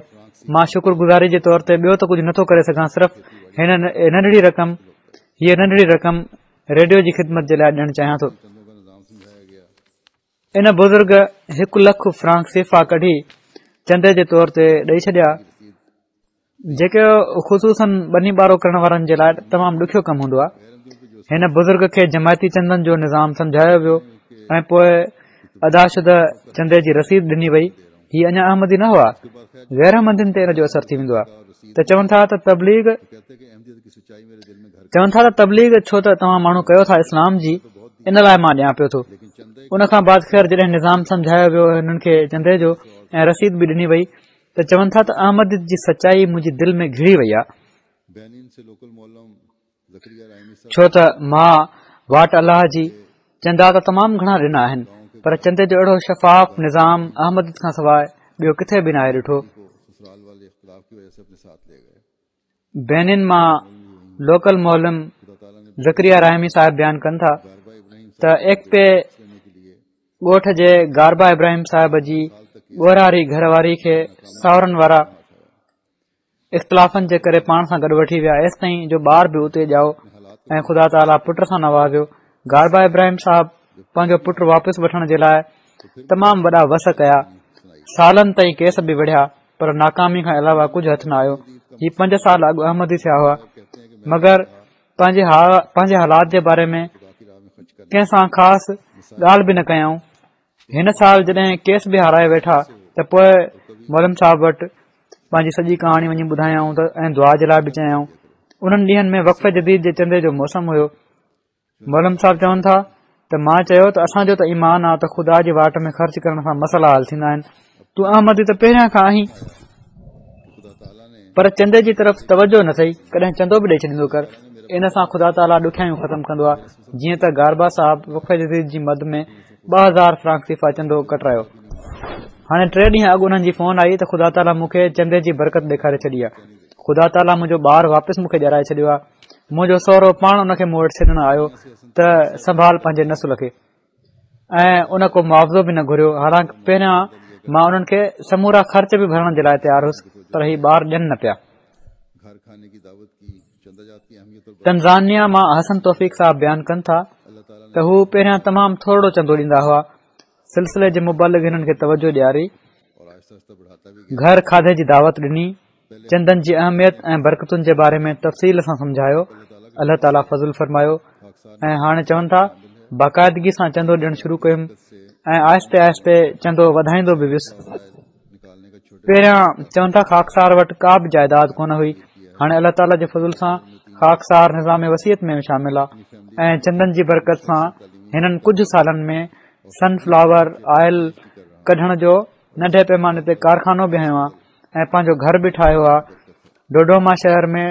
مان شڪر گذاري جي طور تي ٻيو ته ڪجهه نٿو ڪري سگهان، صرف هن ننڍڙي رقم هيءَ ننڍڙي رقم ريڊيو جي خدمت جي لاءِ ڏيڻ چاهيان ٿو. ان بزرگ هڪ لک فرانڪ سيفا ڪڍي چندي جي طور تي ڏئي ڇڏيا، جيڪي خصوصن ٻني ٻارو ڪرڻ وارن جي لاءِ تمام ڏکيو ڪم هوندو آهي. هن بزرگ کي جماعتي چندن جو نظام سمجهايو ويو ۽ پوءِ ادا شده چندي جي رسيد ڏني وئي. هي اڃا احمدي نه هئا، غير احمدين تي ان جو اثر ٿي ويندو آهي. ته چون ٿا ته تبليغ چون ٿا ته تبليغ ڇو ته توهان ماڻهو ڪيو ٿا اسلام جي، ان لاءِ مان ڏيان پيو ٿو. ان کان بعد خير جڏهن نظام سمجهايو ويو هنن کي چندي جو ۽ رسيد به ڏني وئي ته چون ٿا ته احمديت جي سچائي منهنجي دل ۾ گهڙي وئي آهي، ڇو ته مان واٽ الله جي چندا ته تمام گهڻا ڏنا آهن، پر چندي جو اهڙو شفاف نظام احمديت کان سواءِ ٻيو ڪٿي به ناهي ڏٺو. بينن مان لوڪل معلم زڪريا رحمي صاحب بيان ڪن ٿا ته ايڪپي ڳوٺ جي گاربا ابراهيم صاحب جي ڳورهاري گهر واري کي ساورن وارا اختلافن جي ڪري پاڻ سان گڏ وٺي ويا، ايستائين جو ٻار به اتي ڄائو ۽ خدا تعاليٰ پٽ سان نوازيو. گاربا ابراهيم صاحب پنهنجو پٽ واپس وٺڻ جي لاءِ تمام وڏا وس ڪيا، سالن تائين ڪيس به وڙهيا، پر ناڪامي کان علاوه ڪجهه هٿ نه آيو. هي پنج سال اڳ احمدي ٿيا هئا، مگر پنهنجي پنهنجي حالات جي باري ۾ ڪنهن سان خاص ڳالهه به نه ڪيائون. هن سال جڏهن ڪيس به هارائي ويٺا ته پوءِ معلم صاحب وٽ پنهنجي سڄي ڪهاڻي وڃي ٻڌايائون ته ۽ دعا جي لاءِ به چيائون. انهن ڏينهن ۾ وقف جديد جي چندي جو موسم هيو. معلم صاحب چون ٿا ته مان چيو ته اسان جو ته ايمان آهي ته خدا جي واٽ ۾ خرچ ڪرڻ سان مسئلا حل ٿيندا آهن، تون احمدي ته پهريان کان آهين، پر چندي جي طرف توجه نه اٿئي، ڪڏهن چندو به ڏئي ڇڏيندو ڪر، ان سان خدا تعاليٰ ڏکيائيون ختم ڪندو آهي. جيئن ته گاربا صاحب وقف جديد جي مد ۾ ٻه هزار فرانڪ سيفا چندو ڪٽرايو. هاڻي ٽي ڏينهن اڳ انهن جي فون آئي ته خدا تعاليٰ مون کي چندي جي برڪت ڏيکاري ڇڏي آهي، خدا تعاليٰ منهنجو ٻار واپس مون کي ڏيارائي ڇڏيو آهي، منهنجو سهرو پاڻ ان کي مون وٽ ڇڏڻ آيو ته سنڀال پنهنجي نسل کي، ۽ ان ڪو معاوضو به نه گهريو. حالانڪه پهريان مان انهن کي سمورا خرچ به ڀرڻ جي لاءِ تيار هئس، پر هي ٻار ڏين نه پيا. تنزانيا مان حسن توفيق صاحب بيان ڪن ٿا ته هو پهريان تمام ٿورڙو چندو ڏيندا هئا. سلسلي جي مبلغ هنن کي توجه ڏياري، گهر کاڌي جي دعوت ڏني، چندن جي اهميت ۽ برڪتن جي باري ۾ تفصيل سان سمجهايو. الله تعاليٰ فضل فرمايو ۽ هاڻي چون ٿا باقاعدگي سان چندو ڏيڻ شروع ڪيم ۽ آهستي آهستي چندو وڌائيندو به ويس. پهريان چون ٿا خاڪسار وٽ ڪا به جائيداد ڪونه هئي، هاڻي الله تعاليٰ جي فضل سان خاڪسار نظام وصيت ۾ شامل آهي ۽ چندن جي برڪت سان هنن ڪجهه سالن ۾ سن فلاور آئل ڪڍڻ جو ننڍي پيماني تي ڪارخانو به هنيو آهي ۽ پنهنجو گهر به ٺاهيو آهي. ڊوڊوما شهر ۾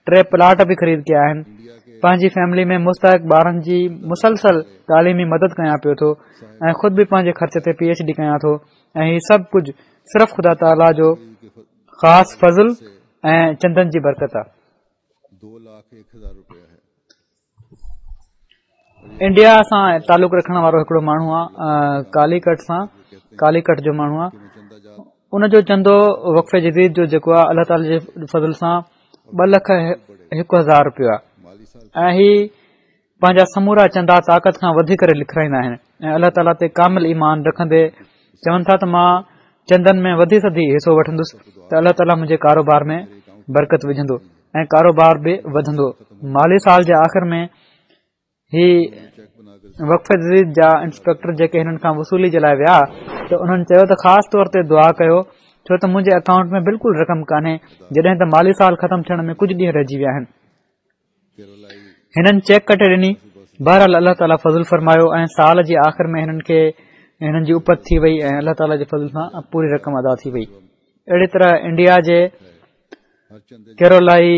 ٽي پلاٽ به خريد ڪيا آهن. پنهنجي فيملي ۾ مستحق ٻارن جي مسلسل تعليمي مدد ڪيان پيو ٿو ۽ خود به پنهنجي خرچ تي پي ايڇ ڊي ڪيان ٿو، ۽ هي سڀ ڪجهه صرف خدا تعاليٰ جو خاص فضل ۽ چندن جي برڪت آهي. انڊيا سان تعلق رکڻ وارو هڪڙو ماڻهو آهي، ڪاليڪٽ سان ڪاليڪٽ جو ماڻهو آهي. ان جو چندو وقف جديد جو جيڪو آهي الله تعاليٰ جي فضل سان ٻه لک هڪ هزار رپيو آهي، ۽ هي پنهنجا سمورا چندا طاقت کان وڌي ڪري لکرائيندا آهن ۽ الله تعاليٰ تي ڪامل ايمان رکندي چون ٿا ته مان چندن ۾ وڌي سڌي حصو وٺندس ته الله تعاليٰ منهنجي ڪاروبار ۾ برڪت وجهندو ۽ ڪاروبار به وڌندو. مالي سال جي آخر ۾ هي وقف جديد جا انسپيڪٽر جيڪي هنن کان وصولي جي لاءِ ويا ته انهن چيو ته خاص طور تي دعا ڪيو، ڇو ته منهنجي اڪائونٽ ۾ بلڪل رقم ڪانهي، جڏهن ته مالي سال ختم ٿيڻ ۾ ڪجهه ڏينهن رهجي ويا آهن. هنن چيڪ ڪٽي ڏني. بهرحال الله تعاليٰ فضل فرمايو ۽ سال جي آخر ۾ هنن کي هنن جي اپت ٿي وئي ۽ الله تعاليٰ جي فضل سان پوري رقم ادا ٿي وئي. اهڙي طرح انڊيا جي ڪيرولائي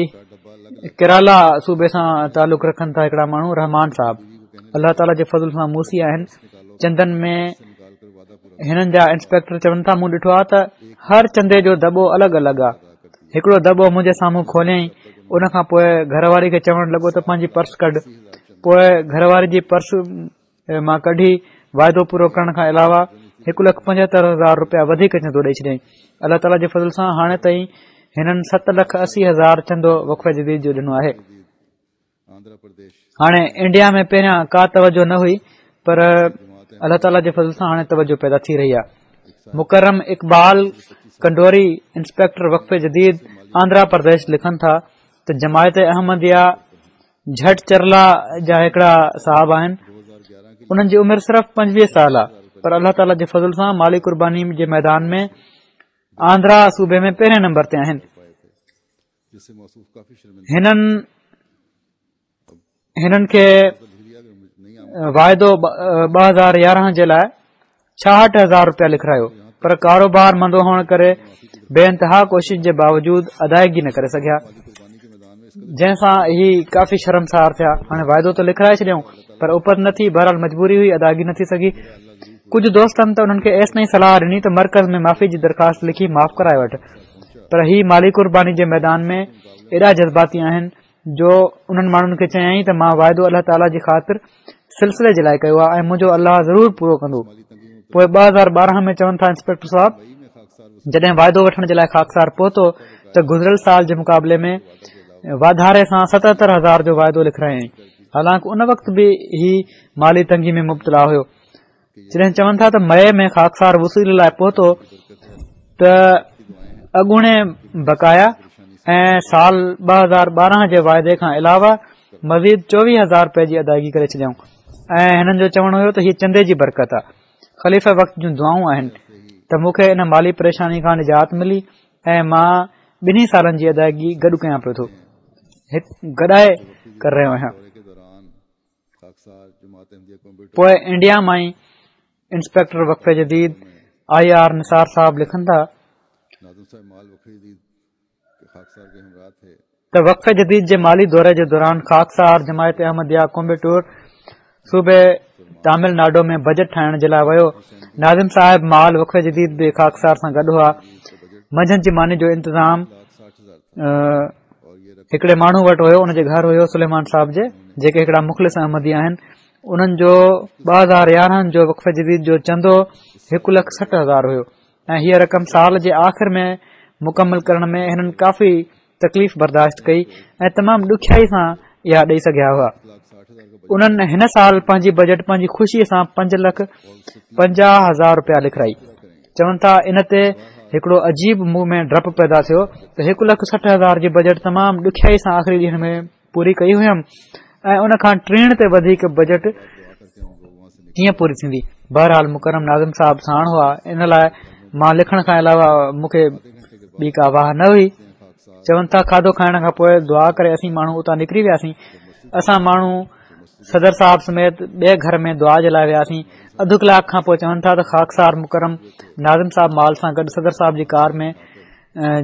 ڪيرالا صوبي سان تعلق رکن ٿا هڪڙا ماڻهو رحمان صاحب، الله تعاليٰ جي فضل سان موسي آهن. چندن ۾ هنن جا انسپيڪٽر چون ٿا مون ڏٺو آهي ته هر چندي جو دٻو الڳ الڳ آهي. هڪڙو دٻو منهنجي سامهون کوليائين، ان کان پوءِ گهر واري کي چوڻ لڳو ته پنهنجي پرس ڪڍ. پوءِ گهر واري جي پرس مان ڪڍي واعدو پورو ڪرڻ کان علاوه هڪ لک پنجهتر هزار رپيا وڌيڪ چندو ڏئي ڇڏيائين. الله تعاليٰ جي فضل سان هاڻي تائين هنن ست لک اسي هزار چندو وقف جديد جو ڏنو آهي. هاڻي انڊيا ۾ پهريان ڪا توجه نه هئي، پر الله تعاليٰ جي فضل سان هاڻي توجه پيدا ٿي رهي آهي. مڪرم اقبال ڪنڊوري انسپيڪٽر وقف جديد آنڌرا پرديش لکن ٿا ته جماعت احمديه جهٽ چرلا جا هڪڙا صاحب آهن، انهن جي عمر صرف پنجويهه سال آهي، پر الله تعاليٰ جي فضل سان مالي قرباني جي ميدان ۾ آنڌرا صوبي ۾ پهرين نمبر تي آهن. هنن هنن کي واعدو ٻه هزار يارهن جي لاءِ ڇاهٺ هزار رپيا لکرايو. پر ڪاروبار مندو هئڻ ڪري بي انتها ڪوشش جي باوجود ادائگي نه ڪري سگهيا، جنهن سان هي ڪافي شرمسار ٿيا. هاڻي واعدو ته لکرائي ڇڏيائون پر اپت نه ٿي، بهرحال مجبوري هئي، ادائگي نه ٿي سگهي. ڪجهه دوستن ته انهن کي ايستائين صلاح ڏني ته مرڪز ۾ معافي جي درخواست لکي معاف ڪرائي وٺ، پر هي مالي قرباني جي ميدان ۾ ايڏا جذباتي آهن جو انهن ماڻهن کي چيائين ته مان واعدو الله تعاليٰ جي خاطر سلسلي جي لاءِ ڪيو آهي ۽ منهنجو الله ضرور پورو ڪندو. پوءِ ٻه هزار ٻارهن ۾ چون ٿا انسپيڪٽر صاحب جڏهن واعدو وٺڻ جي لاءِ خاڪسار پهتو ته گذريل سال جي مقابلي ۾ واڌاري سان ستهتر هزار جو واعدو لکرايائين، حالانڪه ان وقت به هي مالي تنگي ۾ مبتلا هيو. جڏهن چون ٿا ته مئي ۾ خاڪسار وصولي لاءِ پهتو ته اڳوڻي بقايا ۽ سال ٻه هزار ٻارهن جي واعدي کان علاوه مزيد چوويهه هزار رپئي جي ادائگي ڪري ڇڏيائون. ۽ هنن جو چوڻ هيو ته هيءَ چندي جي برڪت آهي، خليفه وقت جون دعائون آهن ته مون کي ان مالي پريشاني کان نجات ملي ۽ مان ٻنهي سالن جي ادائگي گڏ ڪيان پيو ٿو، گڏائي ڪري رهيو آهيان. پوءِ انڊيا مان ئي انسپيڪٽر وقف جديد I R Nisar صاحب لکن ٿا ته وقف جديد جي مالي دوري جي دوران خاڪسار جماعت احمديه ڪومبيٽور صوبي تامل ناڊو ۾ بجيٽ ٺاهڻ جي لاءِ ويو. ناظم صاحب مال وقف جديد به خاڪسار سان گڏ هئا. منجهند جي ماني جو انتظام هڪڙي ماڻهو وٽ هيو، ان جي گهر هيو سليمان صاحب جي، جيڪي هڪڙا مخلص احمدي آهن. انهن جو ٻه هزار يارهن جو وقف جديد جو چندو هڪ لک سٺ هزار هيو ۽ هيءَ رقم سال جي آخر ۾ مڪمل ڪرڻ ۾ هنن ڪافي تڪليف برداشت ڪئي ۽ تمام ڏکيائي سان اها ڏيئي سگهيا هئا. انهن هن سال پنهنجي بجيٽ پنهنجي خوشيءَ سان پنج لک پنجاهه هزار رپيا لکرائي. چون ٿا ان تي هڪڙو عجيب مون ۾ ڊپ پيدا ٿيو ته هڪ لک سٺ هزار جي بجيٽ تمام ڏکيائي سان آخري ڏينهن ۾ پوري ڪئي هيم ۽ ان کان ٽيڻ تي وڌيڪ بجيٽ ڪيئن پوري ٿيندي. بهرحال مڪرم ناظم صاحب ساڻ هئا، ان لاءِ مان لکڻ کان علاوه مون کي ٻي ڪا واهه نه هئي. چون ٿا کاڌو کائڻ کان پوءِ دعا ڪري اسين ماڻهو اتان نڪري وياسين. اسان ماڻهو صدر صاحب سميت ٻئي گهر ۾ دعا جي لاءِ وياسين. اڌ ڪلاڪ کان پوءِ چون ٿا ته خاڪسار مڪرم ناظم صاحب مال سان گڏ صدر صاحب جي ڪار ۾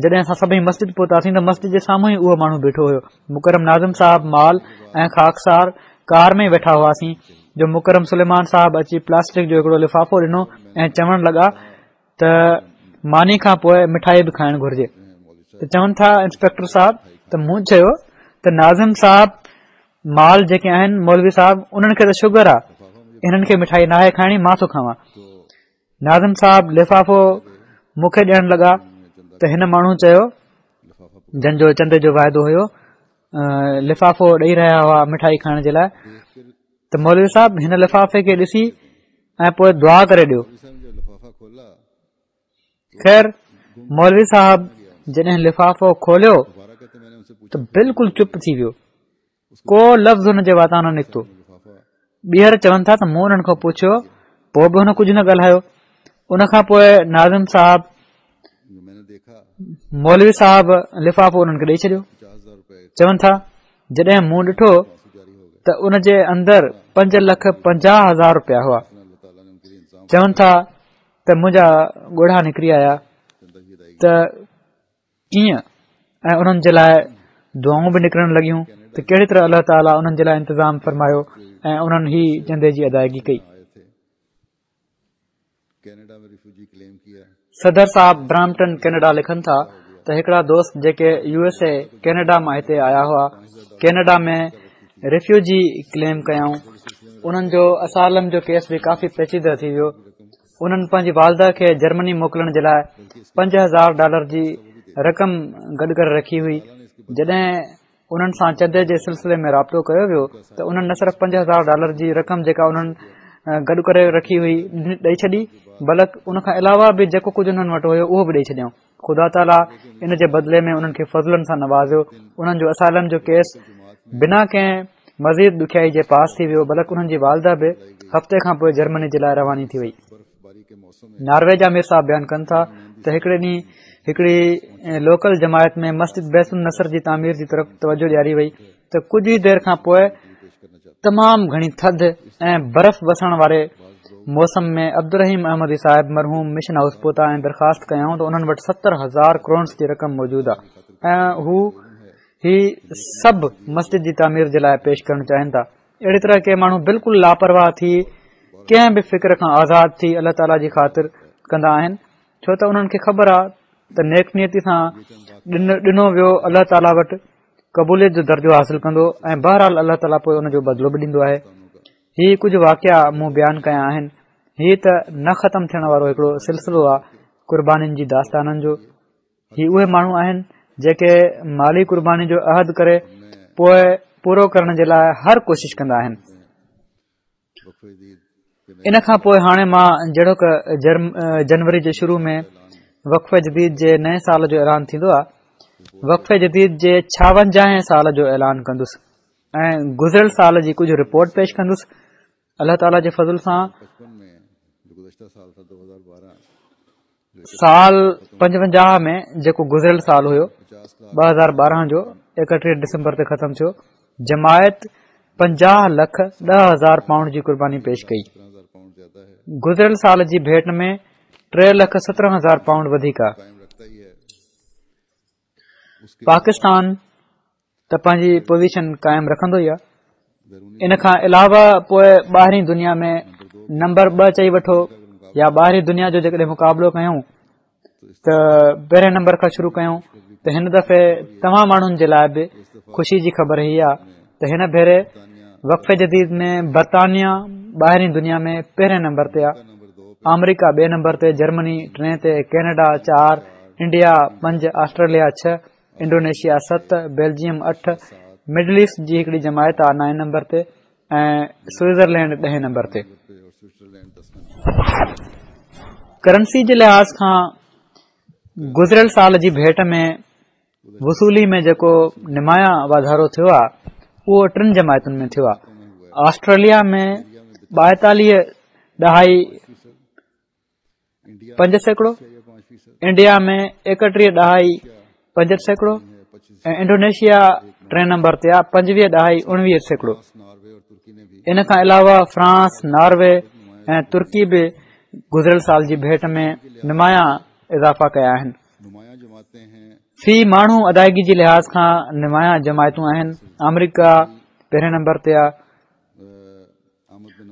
جڏهن اسان سڀئي مسجد پهتاسين ته مسجد جي سامهون ئي اهو ماڻهو بيٺو هيو. مڪرم ناظم صاحب مال ۽ خاڪسار ڪار ۾ ويٺا هئاسين جو مڪرم سليمان صاحب اچي پلاسٽڪ جو هڪڙو لفافو ڏنو ۽ چوڻ لڳا ته ماني کان پوءِ مٺائي به کائڻ گهرجي. ته چون ٿا انسپيڪٽر صاحب ته مون چيو ته ناظم صاحب مال جيڪي آهن مولوي صاحب انهن کي ته شگر آهي، هنن کي مٺائي ناهي کائڻي، مان ٿو کاوان. ناظم صاحب لفافو مون کي ڏيڻ لڳا ته هن ماڻهو چيو جن جو چندي جو واعدو هيو، لفافو ڏيئي رهيا هئا مٺائي کائڻ جي لاءِ، ته مولوي صاحب هن لفافي کي ڏسي ۽ پوءِ دعا ڪري ڏيو. خير مولوي صاحب جڏهن لفافو کوليو ته بلڪل چپ ٿي ويو، ڪو لفظ هن جي واتان نه نڪتو. ٻيهر چون ٿا ته مون انهن کان پڇيو، پوءِ به هن ڪجهه نه ڳالهايو. ان کان پوءِ ناظم صاحب مولوي صاحب لفافو انهن کي ڏيئي ڇڏيو. چون ٿا جڏهن مون ڏٺو ته ان جي اندر پنج لک پنجاهه هزار رپيا هئا. چون ٿا ته منهنجا ڳوڙها نڪري آيا ته ڪيئن، ۽ انهن جي لاءِ دعائون به نڪرڻ لڳيون ته ڪهڙي طرح الله تعاليٰ انهن جي لاءِ انتظام فرمايو ۽ انهن هي چندي جي ادائگي ڪئي. صدر صاحب برامپٽن ڪينيڊا لکن ٿا ته هڪڙا دوست جيڪي يو ايس اي ڪينيڊا مان هتي آيا هئا، ڪينيڊا ۾ ريفيوجي ڪليم ڪيائون. انهن جو اسالم جو ڪيس به ڪافي پيچيده ٿي ويو. انهن پنهنجي والده کي جرمني موڪلڻ جي لاءِ پنج هزار ڊالر جي رقم گڏ ڪري رکي هئي. جڏهن انهن سان چندي جي سلسلي ۾ رابطو ڪيو ويو ته انهن نه صرف پنج هزار ڊالر جي رقم جيڪا انهن گڏ ڪري رکي هئي ڏئي ڇڏي، بلڪ ان کان علاوه به جيڪو ڪجهه انهن وٽ هيو اهو به ڏئي ڇڏيائون. خدا تعاليٰ ان جي بدلي ۾ انهن کي فضلن سان نوازيو. انهن جو اسالم جو ڪيس بنا ڪنهن مزيد ڏکيائي جي پاس ٿي ويو، بلڪ انهن جي والده به هفتي کان پوءِ جرمني جي لاءِ رواني ٿي وئي. ناروي جا مير صاحب بيان ڪن ٿا ته هڪڙي ڏينهن هڪڙي لوڪل جماعت ۾ مسجد بيت النصر جي تعمير جي طرف توجه ڏياري وئي ته ڪجهه ئي دير کان پوءِ تمام گهڻي ٿڌ ۽ برف وسڻ واري موسم ۾ عبدالرحيم احمدي صاحب مرحوم مشن هائوس پهتا ۽ درخواست ڪيائون ته انهن وٽ ستر هزار ڪرونس جي رقم موجود آهي ۽ هو هي سڀ مسجد جي تعمير جي لاءِ پيش ڪرڻ چاهين ٿا. اهڙي طرح ڪي ماڻهو بلڪل لاپرواهه ٿي ڪنهن به فڪر کان آزاد ٿي الله تعاليٰ جي خاطر ڪندا آهن، ڇو ته انهن کي خبر آهي ته نيڪ نيتي سان ڏنو ويو الله تعاليٰ وٽ قبوليت جو درجو حاصل ڪندو ۽ بهرحال الله تعاليٰ پوءِ ان جو بدلو به ڏيندو آهي. هي ڪجهه واقعا مون بيان ڪيا آهن. هي ته نه ختم ٿيڻ وارو هڪڙو سلسلو آهي قربانين جي داستانن جو. هي اهي ماڻهو آهن جيڪي مالي قرباني جو عهد ڪري پوءِ پورو ڪرڻ جي لاءِ هر ڪوشش ڪندا آهن. ان کان پوءِ هاڻي مان جهڙوڪ جنوري جي شروع ۾ وقف جديد جي نئين سال جو اعلان ٿيندو آهي، وقف جديد جي ڇاونجاهين سال جو اعلان ڪندس ۽ گذريل سال جي ڪجهه رپورٽ پيش ڪندس. الله تعاليٰ جي فضل سان سال پنجونجاهه ۾ جيڪو گذريل سال هيو ٻه هزار ٻارهن جو ايڪٽيهه ڊسمبر تي ختم ٿيو، جماعت پنجاهه لک ڏهه هزار پائونڊ جي قرباني پيش ڪئي. گذريل سال جي ڀيٽ ۾ ٽي لک سترهن هزار پائونڊ وڌيڪ آهي. پاڪستان ته پنهنجي پوزيشن قائم رکندو ئي آهي. ان کان علاوه پوءِ ٻاهرين دنيا ۾ نمبر ٻه چئي وٺو يا ٻاهرين دنيا جو جيڪڏهن مقابلو ڪيون ته پهرين نمبر کان شروع ڪيون ته هن دفعي توهان ماڻهن جي لاءِ به خوشي جي خبر هي آهي ته هن ڀيري وقف جديد ۾ برطانيا ٻاهرين دنيا ۾ پهرين نمبر تي آهي، آمريڪا ٻئي نمبر تي، جرمني ٽئين تي، ڪينيڊا چار، انڊيا پنج، آسٽريليا ڇهه، انڊونيشيا ست، بيلجيم اٺ، مڊل ايسٽ جي هڪڙي جماعت آهي نائين نمبر تي ۽ سوئٽزرلينڊ ڏهين نمبر تي. ڪرنسي جي لحاظ کان گذريل سال جي ڀيٽ ۾ وصولي ۾ جيڪو نمايان واڌارو ٿيو آهي اهو ٽن جماعتن ۾ ٿيو آهي. آسٽريليا ۾ ٻائيتاليهه ڏهائي پنج سيڪڙو، انڊيا ۾ ايڪٽيهه ڏهائي پنج سيڪڙو ۽ انڊونيشيا ٽئين نمبر تي آهي پنجويهه ڏهائي اڻويهه سيڪڙو. ان کان علاوه فرانس، ناروي ۽ ترڪي به گذريل سال جي ڀيٽ ۾ نمايان اضافا ڪيا آهن. في ماڻهو ادائگي جي لحاظ کان نمايان جماعتون آهن. آمريڪا پهرين نمبر تي آهي،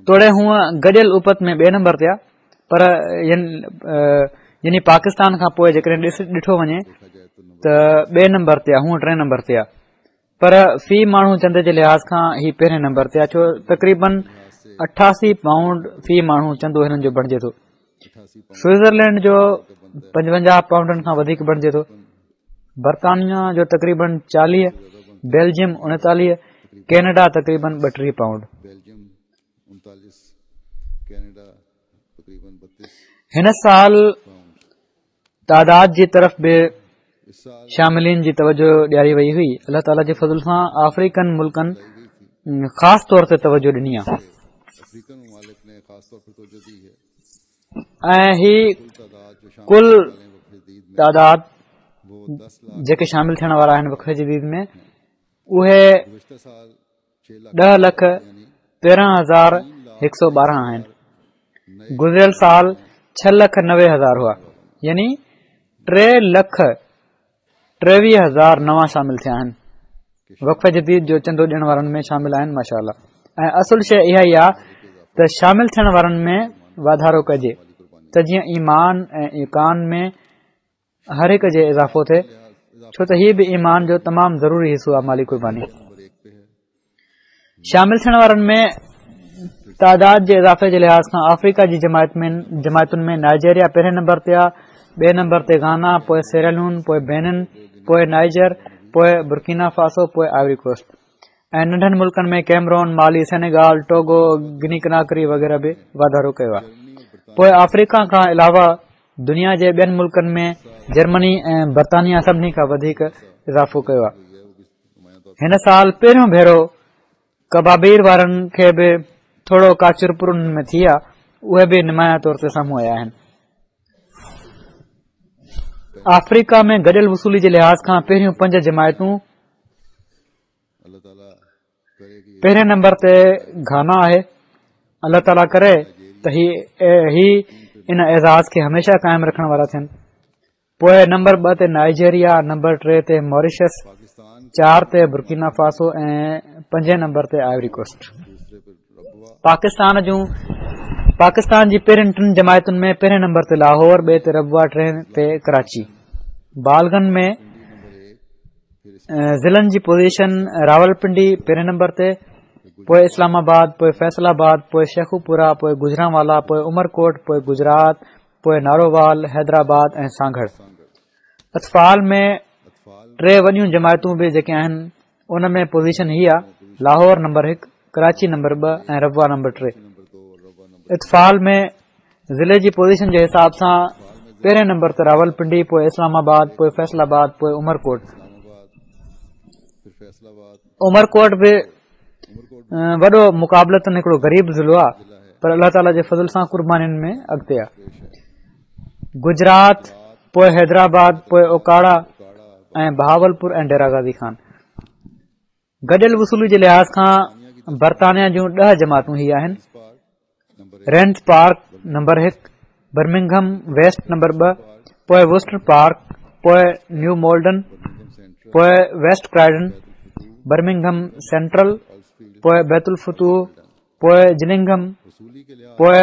توڙي هونءَ گڏيل اپت ۾ ٻئي نمبر تي آهي، پر يعني پاڪستان کان پوءِ جيڪڏهن ڏٺو وڃي ته ٻئي نمبر تي آهي، هونءَ ٽئين نمبر تي آهي، پر في ماڻهو چندي جي لحاظ کان هي پهرين نمبر تي آهي، ڇو تقريبن اٺاسي پائونڊ في ماڻهو چندو هنن جو بڻجي ٿو. سوئٽزرلينڊ جو پنجونجاهه پائونڊن کان وڌيڪ بڻجي ٿو، برطانيا جو تقريبن چاليهه، بيلجيم اڻيتاليهه، ڪينيڊا تقريبن ٻٽيهه پائونڊ. هن سال تعداد جي طرف به شاملين جي توجه ڏياري وئي هئي. الله تعاليٰ جي فضل سان آفريڪن ملڪن خاص طور تي توجه ڏني آهي ۽ هي ڪل تعداد جيڪي شامل ٿيڻ وارا آهن وقف جديد ۾ اهي ڏهه لک تيرهن هزار هڪ سؤ ٻارهن آهن. گذريل سال ڇهه لک نوي هزار هئا، يعني ٽي لک ٽيويهه هزار نوان شامل ٿيا آهن. وقف جديد جو چندو ڏيڻ وارن ۾ شامل آهن ماشاء الله. ۽ اصل شيءِ اها ئي آهي ته شامل ٿيڻ وارن ۾ واڌارو ڪجي ته جيئن ايمان ۽ ايقان ۾ هر هڪ جي اضافو ٿئي، ڇو ته هيءَ به ايمان جو تمام ضروري حصو آهي مالي قرباني. شامل ٿيڻ وارن ۾ تعداد جي اضافي جي لحاظ کان آفريڪا جي جماعت ۾ جماعتن ۾ نائجيريا پهرين نمبر تي آهي، ٻئي نمبر تي گانا، پوءِ سيراليون، پوءِ بينن، پوءِ نائجر، پوءِ برڪينا فاسو، پوءِ آئيوري ڪوسٽ ۽ ننڍن ملڪن ۾ ڪيمرون، مالي، سينيگال، ٽوگو، گني ڪناڪري وغيره به واڌارو ڪيو آهي. پوءِ آفريڪا کان علاوه دنيا جي ٻين ملڪن ۾ جرمني ۽ برطانيا سڀني کان وڌيڪ اضافو ڪيو آهي. هن سال پهريون ڀيرو ڪبابير وارن کي به ٿورو ڪا چرپر انهن ۾ ٿي آهي، اهي به نمايان طور تي سامهون آيا آهن. آفريڪا ۾ گڏيل وصولي جي لحاظ کان پهريون پنج جماعتون پهرين نمبر تي گهانا آهي. الله تعاليٰ ڪري ته ته هي هي ان اعزاز کي هميشه قائم رکڻ وارا ٿين. پوءِ نمبر ٻه تي نائيجيريا، نمبر ٽي تي ماريشس، چار تي برڪينا فاسو ۽ پنجين نمبر تي آئيوري ڪوسٽ. پاڪستان جون پاڪستان جي پهرين ٽن جماعتن ۾ پهرين نمبر تي لاهور، ٻئي تي ربوه، ٽئين تي ڪراچي. بالغن ۾ ضلعن جي پوزيشن راولپنڊي پهرين نمبر تي، پوءِ اسلام آباد، پوءِ فيصل آباد، پوءِ شيخوپورا، پوءِ گجرانوالا، پوءِ عمرڪوٽ، پوءِ گجرات، پوءِ نارووال، حيدرآباد ۽ سانگهڙ. اطفال ۾ ٽي وڏيون جماعتون به جيڪي آهن ان ۾ پوزيشن هي آهي: لاهور نمبر هڪ، ڪراچي نمبر ٻه ۽ ربوه نمبر ٽي. اطفال ۾ ضلعي جي پوزيشن جي حساب سان پهرين نمبر تي راولپنڊي، پوءِ اسلام آباد، پوءِ فيصل آباد، پوءِ عمرڪوٽ. عمرڪوٽ به وڏو مقابلتن هڪڙو غريب ضلعو آهي، پر الله تعاليٰ جي فضل سان قربانين ۾ اڳتي آهي. گجرات، پوءِ حيدرآباد، پوءِ اوڪاڙا ۽ بهاولپور ۽ ڊيرا غازي خان. گڏيل وصولي جي لحاظ کان برطانيا جون ڏهه جماعتون هي آهن: رينس پارڪ نمبر هڪ، برمنگهم ويسٽ نمبر ٻه، پوءِ ووسٽر پارڪ، پوءِ نيو مولڊن، پوءِ ويسٽ ڪرائڊن، برمنگهم سينٽرل، پوءِ بيت الفتوح، پوءِ جلنگهم، پوءِ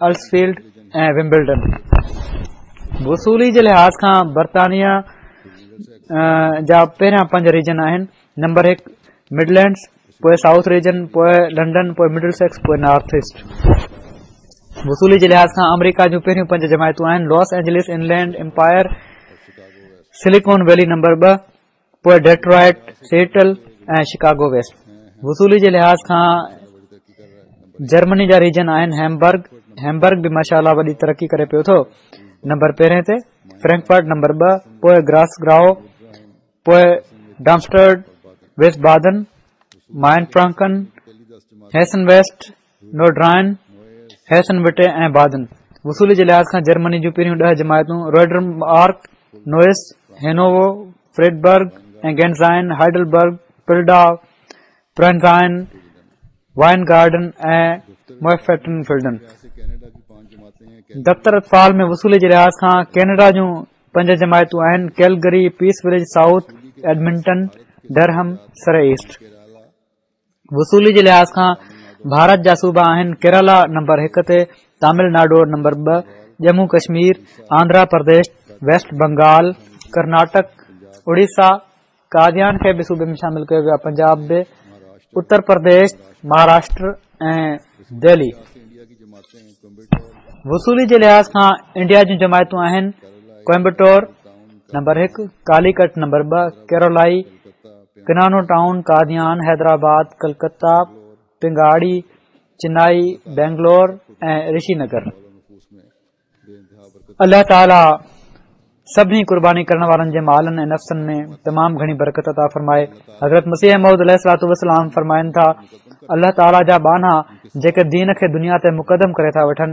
السفيلڊ ۽ ومبلڊن. وصولي جي لحاظ کان برطانيا جا پهريان پنج ريجن آهن: نمبر هڪ مڊلينڊز، پوءِ سائوٿ ريجن، پوءِ لنڊن، پوءِ مڊل سيڪس، پوءِ نارٿ ايسٽ. وصولي جي لحاظ کان آمريڪا جون پهريون پنج جماعتون آهن: Los Angeles, Inland Empire, Silicon Valley number ٻه، پوءِ ڊيٽرائٽ، سيٽل ۽ شڪاگو ويسٽ. وصولي جي لحاظ کان جرمني جا ريجن آهن: هيمبرگ، هيمبرگ به ماشاء الله وڏي ترقي ڪري پيو ٿو، نمبر پهرين تي، فرينڪفرٽ نمبر ٻه، پوءِ گراس گراو، پوءِ ڊامسٽرڊ، ويسٽ بادن، مائن فرانڪن، هيسن ويسٽ، نورڊرائن، هيسن وٽي ۽ بادن. وصولي جي لحاظ کان جرمني جون پهريون ڏهه جماعتون: روڊرمارڪ، نوئس، هينوو، فريڊبرگ ۽ گينزائن، هائيڊلبرگ، پلڊا، پرنزائن، وائن گارڊن ۽ موفيٽن فيلڊن. دفتر اطفال ۾ وصولي جي لحاظ کان ڪينيڊا جون پنج جماعتون آهن: Calgary, Peace Village South, Edmonton, Durham, Surrey East. وصولي جي لحاظ کان ڀارت جا صوبا آهن: ڪيرالا نمبر هڪ تي، تامل ناڊو نمبر ٻه، ڄمون ڪشمير، آنڌرا پرديش، ويسٽ بنگال، ڪرناٽڪ، اڙيسا، قاديان کي به صوبي ۾ شامل ڪيو ويو آهي، پنجاب به، اتر پرديش، مهاراشٽر ۽ دهلي. وصولي جي لحاظ کان انڊيا جون جماعتون آهن: ڪوئمبٽور نمبر هڪ، ڪاليڪٽ نمبر ٻه، ڪيرولائي، ڪنانو ٽائون، قاديان، حيدرآباد، ڪلڪتا، پنگاڙي، چنائي، بينگلور ۽ رشي نگر. الله تعاليٰ سڀني قرباني ڪرڻ وارن جي مالن ۽ نفسن ۾ تمام گهڻي برڪت عطا فرمائي. حضرت مسيح موعود عليه الصلوة والسلام فرمائن ٿا، الله تعاليٰ جا ٻانها جيڪي دين کي دنيا تي مقدم ڪري ٿا وٺن،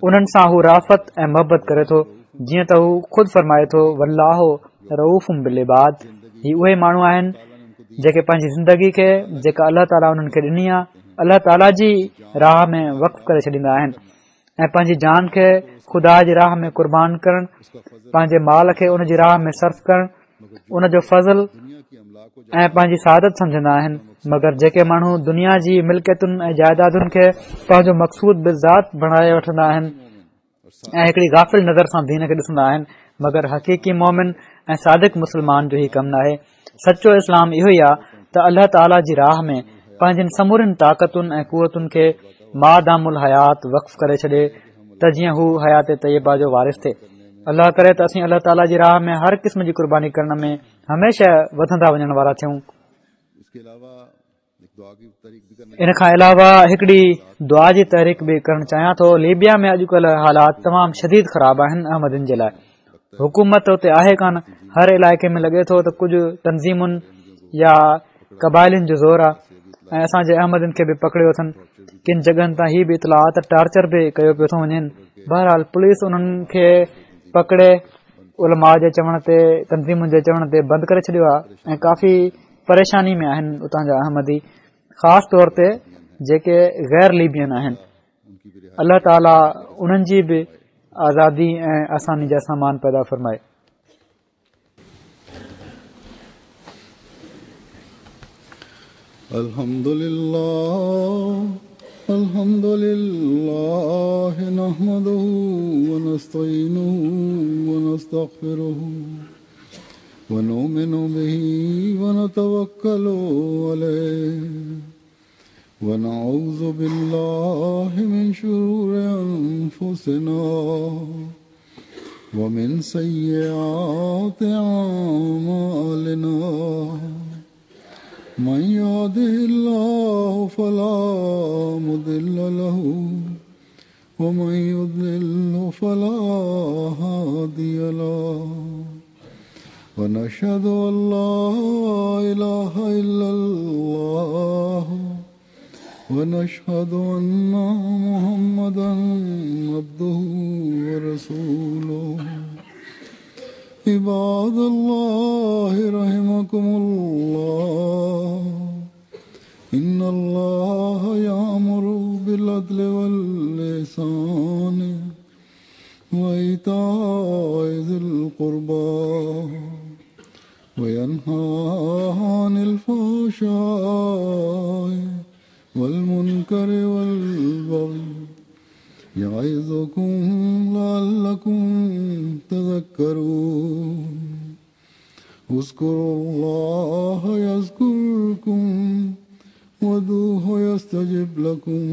انهن سان هو رافت ۽ محبت ڪري ٿو، جيئن ته هو خود فرمائي ٿو، والله رؤوف بالعباد. هي اهي ماڻهو آهن جيڪي پنهنجي زندگي کي جيڪا الله تعاليٰ انهن کي ڏني آهي، الله تعاليٰ جي راهه ۾ وقف ڪري ڇڏيندا آهن ۽ پنهنجي جان کي خدا جي راهه ۾ قربان ڪرڻ، پنهنجي مال کي ان جي راهه ۾ صرف ڪرڻ، ان جو فضل ۽ پنهنجي سعادت سمجهندا آهن. مگر جيڪي ماڻهو دنيا جي ملڪيتن ۽ جائدادن کي پنهنجو مقصود بالذات بڻائي وٺندا آهن ۽ هڪڙي غافل نظر سان دين کي ڏسندا آهن، مگر حقيقي مومن ۽ صادق مسلمان جو هي ڪم ناهي. سچو اسلام اهو ئي آهي ته الله تعاليٰ جي راهه ۾ پنهنجن سمورين طاقتن ۽ قوتن کي مادام الحيات وقف ڪري ڇڏي ته جيئن هو حيات طيبه جو وارث ٿئي. الله ڪري ته اسين الله تعاليٰ جي راهه ۾ هر قسم جي قرباني ڪرڻ ۾ هميشه وڌندا وڃڻ وارا ٿيون. ان کان علاوه هڪڙي دعا جي تحريڪ به ڪرڻ چاهيان ٿو. ليبيا ۾ اڄڪلهه حالات تمام شديد خراب آهن. احمدين جي لاءِ حڪومت اتي آهي ڪانه. هر علائقي ۾ لڳي ٿو ته ڪجهه تنظيمن يا قبائلن جو زور آهي ۽ اسان جي احمدين کي به پڪڙيو اٿن. ڪن جڳهن تان هي به اطلاع ته ٽارچر به ڪيو پيو ٿو وڃن. بهرحال پوليس انهن کي پڪڙي علماء جي چوڻ تي، تنظيمن جي چوڻ تي بند ڪري ڇڏيو آهي ۽ ڪافي پريشاني ۾ آهن اتان جا احمدي، خاص طور تي جيڪي غير ليبين آهن. الله تعاليٰ انهن جي به آزادي ۽ آساني جا سامان پيدا فرمائي. الحمد لله الحمد لله نحمده ونستعينه ونستغفره ونؤمن به ونتوكل عليه ونعوذ بالله من شرور أنفسنا ومن سيئات أعمالنا من يهده الله فلا مضل له ومن يضلل فلا هادي له ونشهد أن لا إله إلا الله ونشهد أن محمدا عبده ورسوله. عباد الله رحمكم الله إن الله يأمر بالعدل والإحسان وإيتاء ذي القربى وينهى عن الفحشاء والمنكر والبغي يعظكم لعلكم تذكرون. اذكروا الله يذكركم وادعوه يستجب لكم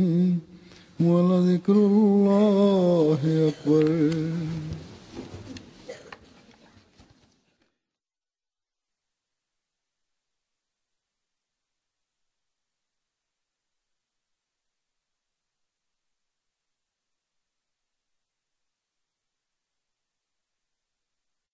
ولذكر الله أكبر.